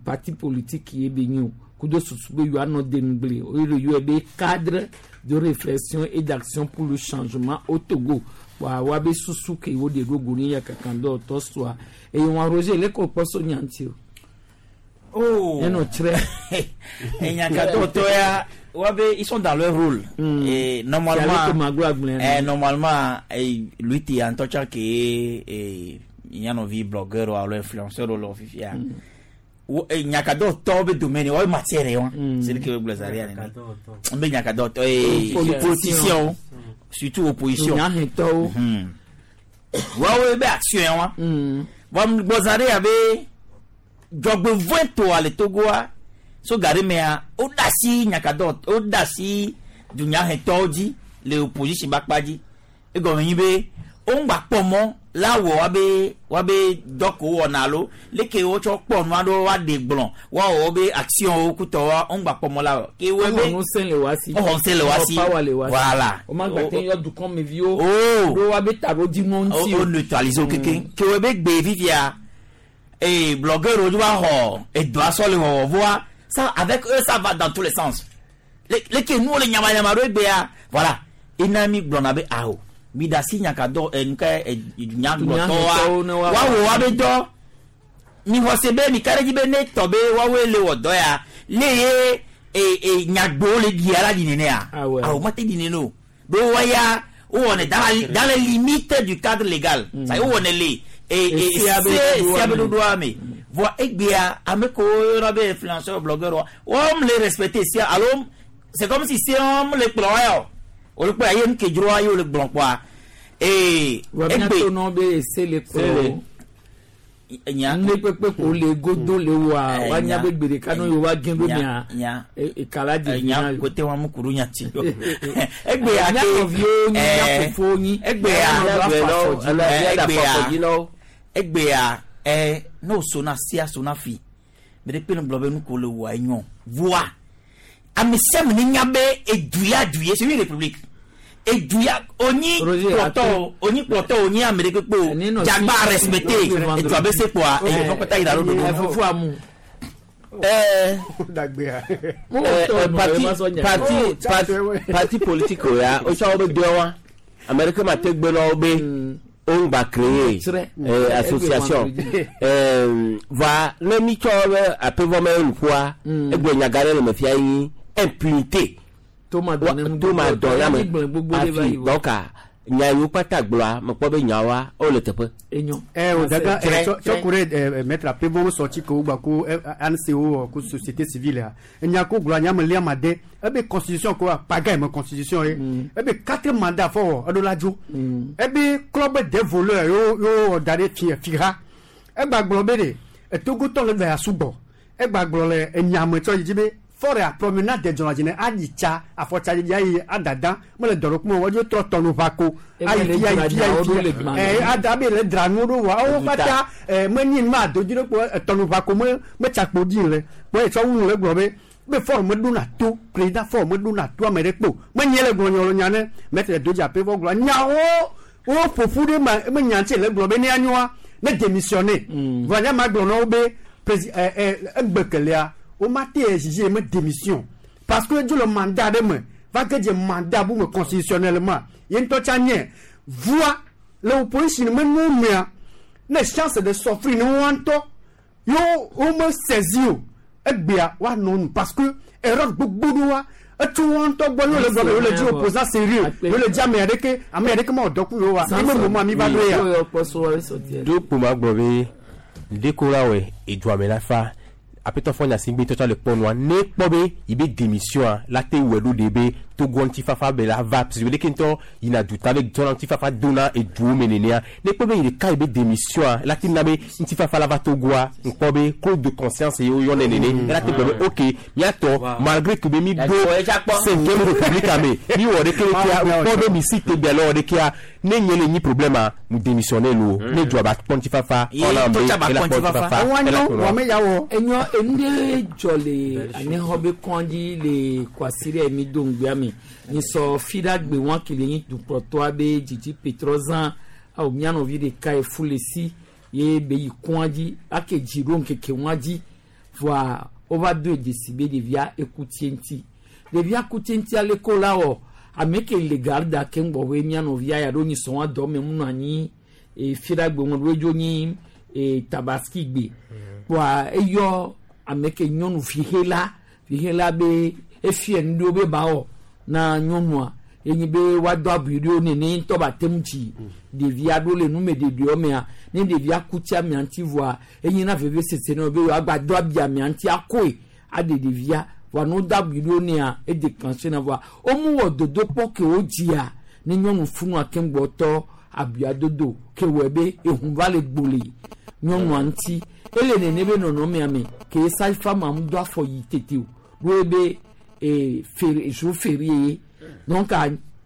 parti politique ye be nyi o kudo susu be yewoanɔ denugble eye le yɔe be cadre de réflexion et d'action pour le changement au Togo wa woabe susu ke woɖe ɖo go ne ya kankan dɔwɔtɔ sɔa eye wɔn Roger leke wòkpɔ so nya ŋuti o. Oh. Eno très. Enyakadɔtɔya, wabe ils sont dans leur rôle. Et normalement, normalement, lui ti en tout cas que nyanɔvi blogueur alo influenceur lo fifia. Nyakadɔtɔ be domaine wa matière ye wa. C'est que gblɔ zaria nene. N be nyakadɔtɔ et politicien surtout opposition. Nyahɛtɔwo. Wawo be action ye wa. Bon gbɔ zaria be dzɔgbevɔ̃etɔa le Togoa so ga ɖe mea woɖe asi nyakadɔ woɖe asi dunyahetɔwo dzi le opposition ƒe akpa dzi egɔme nyi be woŋgba kpɔ mɔ la wɔ woabe woabe dɔ ko wɔna alo leke wotsɔ kpɔ nu aɖewo woaɖe gblɔ woawɔ wobe actionwo kutɔwoa woŋgba kpɔ mɔ la wɔ ke wɔe be Woxɔ ŋusẽ le wa si. Woxɔ ŋusẽ le wa si. Woxɔ power le wa si. Voilà. Womagba te yɔ dukɔmeviwo. Oh. Ɖo woabe taɖodzinuwo ŋuti o. Wo neutraliser wo kekeŋ. Ke wɔe be gbe fifia et blogueur wo va xɔ edɔa sɔ le wɔwɔ voa ça avec eux ça va dans tous les sens. Leke nuwo le nyamanyaman ɖo egbea voilà ena mi gblɔna be awo mi da si nyakadɔ nuka dunyagblɔtɔwoa woawɔ woabe dɔ mi xɔ se be mi ka ɖe dzi be ne tɔ be woawoe le wɔ dɔ ya le ye nyagbewo le ɖia la ɖi nenea awo mate ɖi nene o be woya wowɔnɛ dans les limites du cadre légal ça wowɔnɛ le sia be ɖoɖoa me voa egbea ame kewo yɔna be influenceur blogueur wɔm le respecter sia alo c'est comme si se wɔm le kplɔ ya o wòle kpɔ ye nu ke dzroa ye wòle gblɔ kpɔa ee egbe miato nɔ be ese le kplɔ nya ne kpekpe ko le godo le wa wa nya be gbe ɖeka no yewoa gẽ ɖo mia ekala dzi nya kote wa mu kuru nya ti egbea ke nɔviwo nyi nya fofowo nyi egbea egbea ne o sona sia sona fi me ɖe kpe ne gblɔ be nu ko le wɔ enyɔ voa ame sia ame ne nya be eduya du ye c'est une république eduya onyi kplɔtɔ onyi kplɔtɔ onyi ame ɖe kpekpe o dzagba respecté edua be se kpoa eye fɔ kpata yi da ɖo ɖoɖo. Fofo amu. Parti politique ya wotsɔ wo be dɔe wa ame ɖeke ma te gbe na wo be woŋgba créer association va ne mi tsɔ be aƒevɔ me nuƒoa egbe nyaga ɖe le me fia nyi impunité toma dɔ ya me afi donc nya yiwo kpata gblɔa mekpɔ be nyawoa wole teƒe. O daga tsɔ ku ɖe maître Apevon sɔtsi ke wogba ko ANC wo ko société civile ya enya ko gblɔ nya me lia ma de ebe constitution ko paga me constitution ye ebe quatre mandats fɔ wɔ eɖo la dzo ebe club des voleurs yo yo da ɖe fi fiha egba gblɔ be de etogotɔ le va ya sugbɔ egba gblɔ le enyame tsɔ yi dzi be Faure promenade de dzɔnadzi ayi tsa afɔtsadzidzi ayi adada mele dɔ ɖe kuma wɔdzo trɔ tɔnu va ko ayi fi ayi fi ayi fi ada be le dra nuwo ɖo wa wo katã menyi ma dodzi ɖe kpo tɔnu va ko me metsakpo dzi le kpɔ etsɔ wu le gblɔ be be Faure meɖona to président Faure meɖona to ame ɖe kpo menye le gblɔ nyɔ nya ne maître dodzi ape vɔ gblɔ nyawo wo ƒoƒu ɖe ma me nya ŋuti le gblɔ be ne anyoa ne démissionner vɔ nya ma gblɔ na wo be président egbe kelia wo ma te exiger me démission parce que dzo le mandat ɖe me va ge dze mandat bu me constitutionnellement ye ŋutɔ tsa nye voa le opposition me nuwo mea ne chance de s'offrir ne woa ŋutɔ yo wo me saisi o egbea woanɔ nu parce que erreur gbogbo ɖoa etso woa ŋutɔ gbɔ yo le gbɔ be yo le dzi opposant sérieux yo le dzi ame aɖeke ame aɖeke ma wɔ dɔ ku yo wa eme moment mi va ɖo ya. Do kpo ma gblɔ be ɖeko la wɔ edua me la fa apetɔ fɔ nyasigbe tɔtɔ le kpɔnua ne kpɔ be yi be démission la te wɔ ɖo de be Togo ŋutifafa be la va parce que ɖeke ŋutɔ yina duta be tɔna ŋutifafa dona eduwo me nenea ne kpɔ be yi ɖeka yi be démission la te na be ŋutifafa la va Togoa ŋkpɔ be clause de conscience ye woyɔnɛ nene ela te gblɔ be ok miatɔ malgré que be mi ɖo cinquième république ame mi wɔ ɖeke ɖekea ŋkpɔ be mi si te bia le wɔ ɖekea ne nye le nyi problème a mu démissionner lo ne dua ba kpɔ ŋutifafa ɔna be ela kpɔ ŋutifafa ela kplɔ. Enyɔ enu ɖe dzɔ le anexɔ be kɔndzi le kwasi ɖe mi do ŋgbea me nyisɔ fi ɖe agbe wɔn ke le nyi dukplɔtɔa be dzidzi petrɔzã awo mianɔvi ɖeka ye fu le si ye be yi kɔndzi ake dzi ɖo ŋkeke wɔn dzi voa wova do dzesi be ɖevia eku tie ŋuti ɖevia ku tie ŋuti ale ko la wɔ ame ke le garda ke ŋgbɔ be mianɔvia ya ɖo nyisɔ wɔn dɔ me mu nɔ anyi e fi ɖe agbe wɔn ɖo edzo nyi e tabaski gbe voa eyɔ ame ke nyɔnu vihela vihela be efie nu ɖewo be ba wɔ na nyɔnua enyi be woado abui ɖewo nene ŋutɔ ba te ŋu dzi ɖevia ɖo le nume ɖeɖewo mea ne ɖevia ku tsi amea ŋuti voa enyi na veve sese na wo be yewoagba do abi amea ŋuti akɔe aɖe ɖevia voa ne wodo abui ɖewo nea edéclenché na voa womu wɔ dodokpɔ ke wo dzia ne nyɔnu funua ke ŋgbɔ tɔ abuia dodo ke wɔe be ehun va le gbole nyɔnua ŋuti ele nene be nɔnɔmea me ke sage-femme mu do afɔ yi tete o ɖo be e feri jour férié donc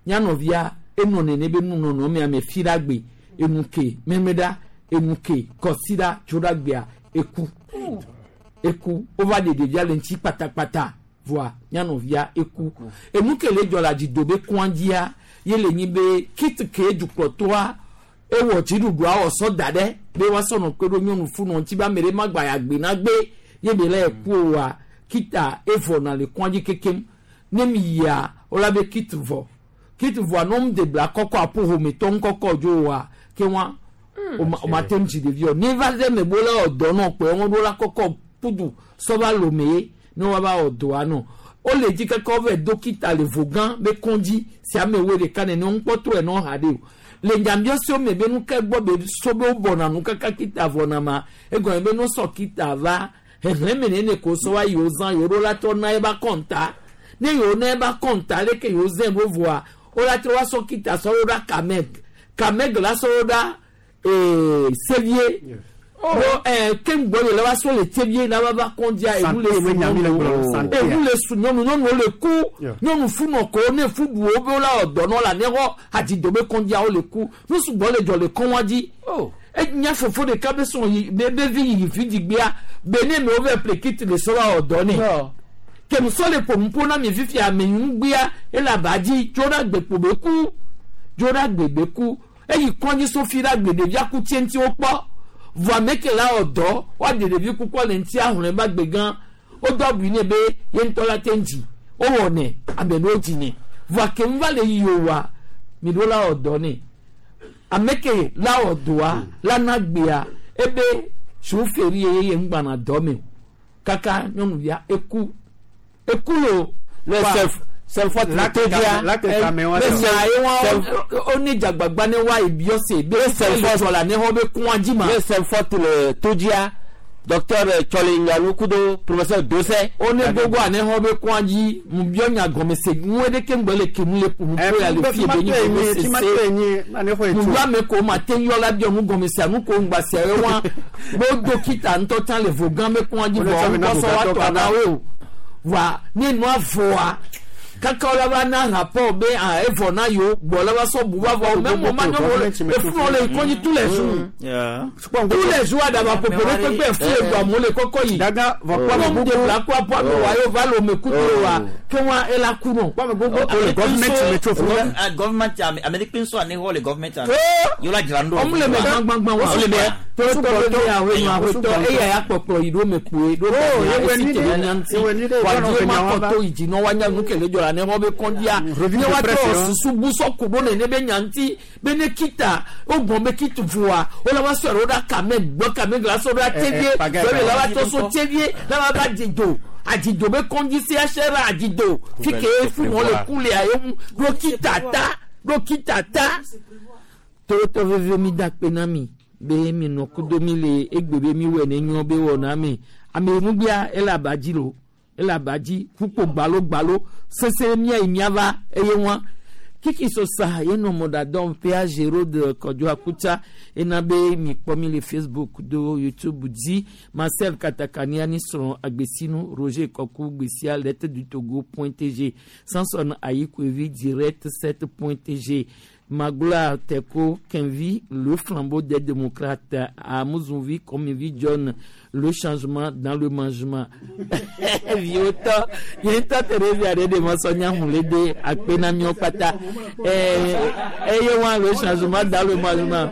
nyanɔvia enɔ nene be nu nɔnɔmea me fi ɖe agbe enu ke mɛmɛɖa enu ke kɔsiɖa tso ɖe agbea eku eku wova ɖe ɖevia le ŋuti kpatakpata voa nyanɔvia eku enu ke le dzɔ le adzido be kɔndzia ye le nyi be kit ke dukplɔtɔa ewɔ dziɖuɖua wɔ sɔ da ɖe be woasɔ nɔ kpe ɖo nyɔnu funɔ ŋuti be ame ɖe ma gba ya gbe na gbe ye be le eku oa kita evɔna le kɔndzi kekem ne mi yia wola be kit vɔ kit vɔa ne wɔm de bla kɔkɔ aƒo hometɔ ŋkɔkɔ dzo oa ke wa o ma te ŋu dzi ɖeviwo ne va ɖe me bo la wɔ dɔ nɔ kpɔe wɔn ɖo la kɔkɔ pudu sɔva lome ye ne wa va wɔ dɔa nɔ wole dzi keke wova do kita le vogã be kɔndzi si ame wo ɖeka nene ŋkpɔtɔ ɛ nɔ ha ɖe o le nyabiɔsiwo me be nu ke gbɔ be so be wobɔna nu kaka kita vɔna ma egɔme be no sɔ kita va xexlẽme nene ko sɔ wa yiwo zã yiwo ɖo la trɔ na eba kɔnta ne yiwo na eba kɔnta leke yiwo zẽ ɖo voa wola trɔ wa sɔ kita sɔ ɖo ɖa kameg kameg la sɔ ɖo ɖa sevie bo keŋgbɔ yi le wa sɔ le sevie la va va kɔndzia enu le su nyɔnuwo enu le su nyɔnu nyɔnuwo le ku nyɔnu funɔ ko ne fu ɖu wo be wola wɔ dɔ nɔ la ne xɔ hadzido be kɔndzia wo le ku nu sugbɔ le dzɔ le kɔn wa dzi enya fofo ɖeka be sɔn yi be be vi yi fi dzigbea be ne me wo va ƒle kit le sɔ va wɔ dɔ nɛ kemusɔ le ƒonuƒo na mi fifia ame ŋugbea ele aba dzi tso ɖe agbekpo be ku tso ɖe agbe be ku eyi kɔndzi sofi ɖe agbe ɖevia ku tsie ŋuti wokpɔ vɔ ame ke la wɔ dɔ woaɖe ɖevi kukua le ŋuti ahlɔe ba gbe gã wodo abui nɛ be ye ŋutɔ la te ŋu dzi wowɔ nɛ ame ɖewo dzi nɛ vɔ ke va le yi o wa mi ɖo la wɔ dɔ nɛ ame ke la wɔ dɔa la na gbea ebe soferi ye ye ŋgbana dɔ me o kaka nyɔnuvia eku eku lo le sef sefɔ todia le ye wa o ne dzagbagba ne wa ebiɔ se be le dzɔ la ne xɔ be kɔn dzi ma le sefɔ le todia docteur Tsɔli Nyalu kudo professeur Dosɛ o ne gbogbo ane xɔ be kɔn dzi mu biɔ nya gɔme se ŋu ɖe ke ŋgbɛ le kemu le ƒo ƒo ya le fie be nyi gɔme sese mu biɔ ame ko ma te yɔ la biɔ nu gɔme se anu ko ŋgba se ye wa bo do kita ŋutɔ tsã le vo gã be kɔn dzi vɔ ŋkɔsɔ wa tɔ anawo o. Wa ne nua vɔa kaka wòle va na rapport be ah evɔ na yewo gbɔ le va sɔ bu va vɔ mɛ mo ma nyɔnu le efu le kɔnyi tous les jours tous les jours adaba popo ɖe kpekpe efu le do amewo le kɔkɔ yi Daga, vɔ kpɔ ame ame gbogbo- de bla kó apo ame wa yewo va le ome kudo wa ke wa ela ku nɔ. Le government metro fún mi. Government ame ɖe kpe ŋusɔ ane xɔ le government ane. Oh! Yóò la dzra ŋdɔ. Ɔmu le me gbãgbãgbã wa Ɔmu le mea. tɔtɔ bɛ ahoe ahoetɔ eya ya kpɔkplɔ yi ɖo me kpoe ɖo Oh, me ewe esi ni te ɖe, ɖe nyanti ewe ni ɖe, wa yɔnɔ die fe ma nyawa va. kɔtɔ yi dzi nɔ wa nya nu kele dzɔ la ne xɔ be kɔndia Revue ne de wa presse, tɔ hein. susu busɔ ku ɖo nene be nyanti be ne kita o gbɔn be kitu voa o la wa sɔ ɖo ɖa kame gbɔ kame gla sɔ ɖo Eh, eh, atevie pagaille, fɛn mi la wa pagaille. tɔ so tevie la wa ba dzido adzido be kɔndzi CHR adzido fi ke fi mɔ le ku lea ye ŋu ɖo kita ta ɖo kita ta tɔwɔtɔ veve mi da kpe na mi be mi nɔ kudo mi le egbe be mi wɔ ne nyɔ be wɔ na mi ame nugbea ele abadzi lo ele abadzi kpukpo gbalo gbalo sese mia yi miava eye wa kiki sosa ye nɔ mɔɖadɔm ƒea Gérald Kɔdzo Akutsa ena be mi kpɔ mi le Facebook do YouTube dzi Marcel Katakania ni srɔ̃ agbesinu Roger Kɔku gbesia lettre du Togo point tg Samson Ayikoevi direct 7 point tg Magloire Teko Kenvi, le flambeau des démocrates, Amouzouvi Komivi John, le changement dans le mangement. Viota, yenta Teresa de Mansonia Hulede, Akpena Miopata, et le changement dans le mangement.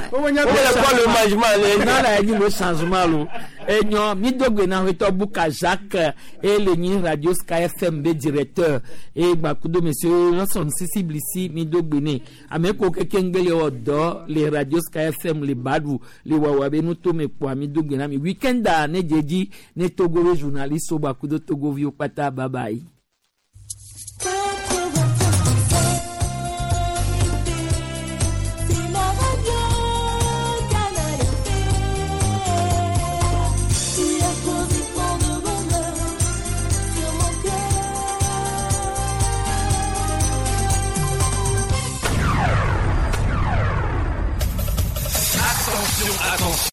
Le mangement, Non, là, il dit le changement, lo. Et non, mi dogbe na weto Buka Jacques et le ni Radio Sky FM be directeur et bakudo monsieur Lawson Sisi Blisi mi dogbe ne. Ame ko keke ngbele odo le Radio Sky FM le Badu le wawa be nu to me po mi dogbe na mi weekend a ne jeji ne Togo journaliste bakudo Togo vi pata bye bye.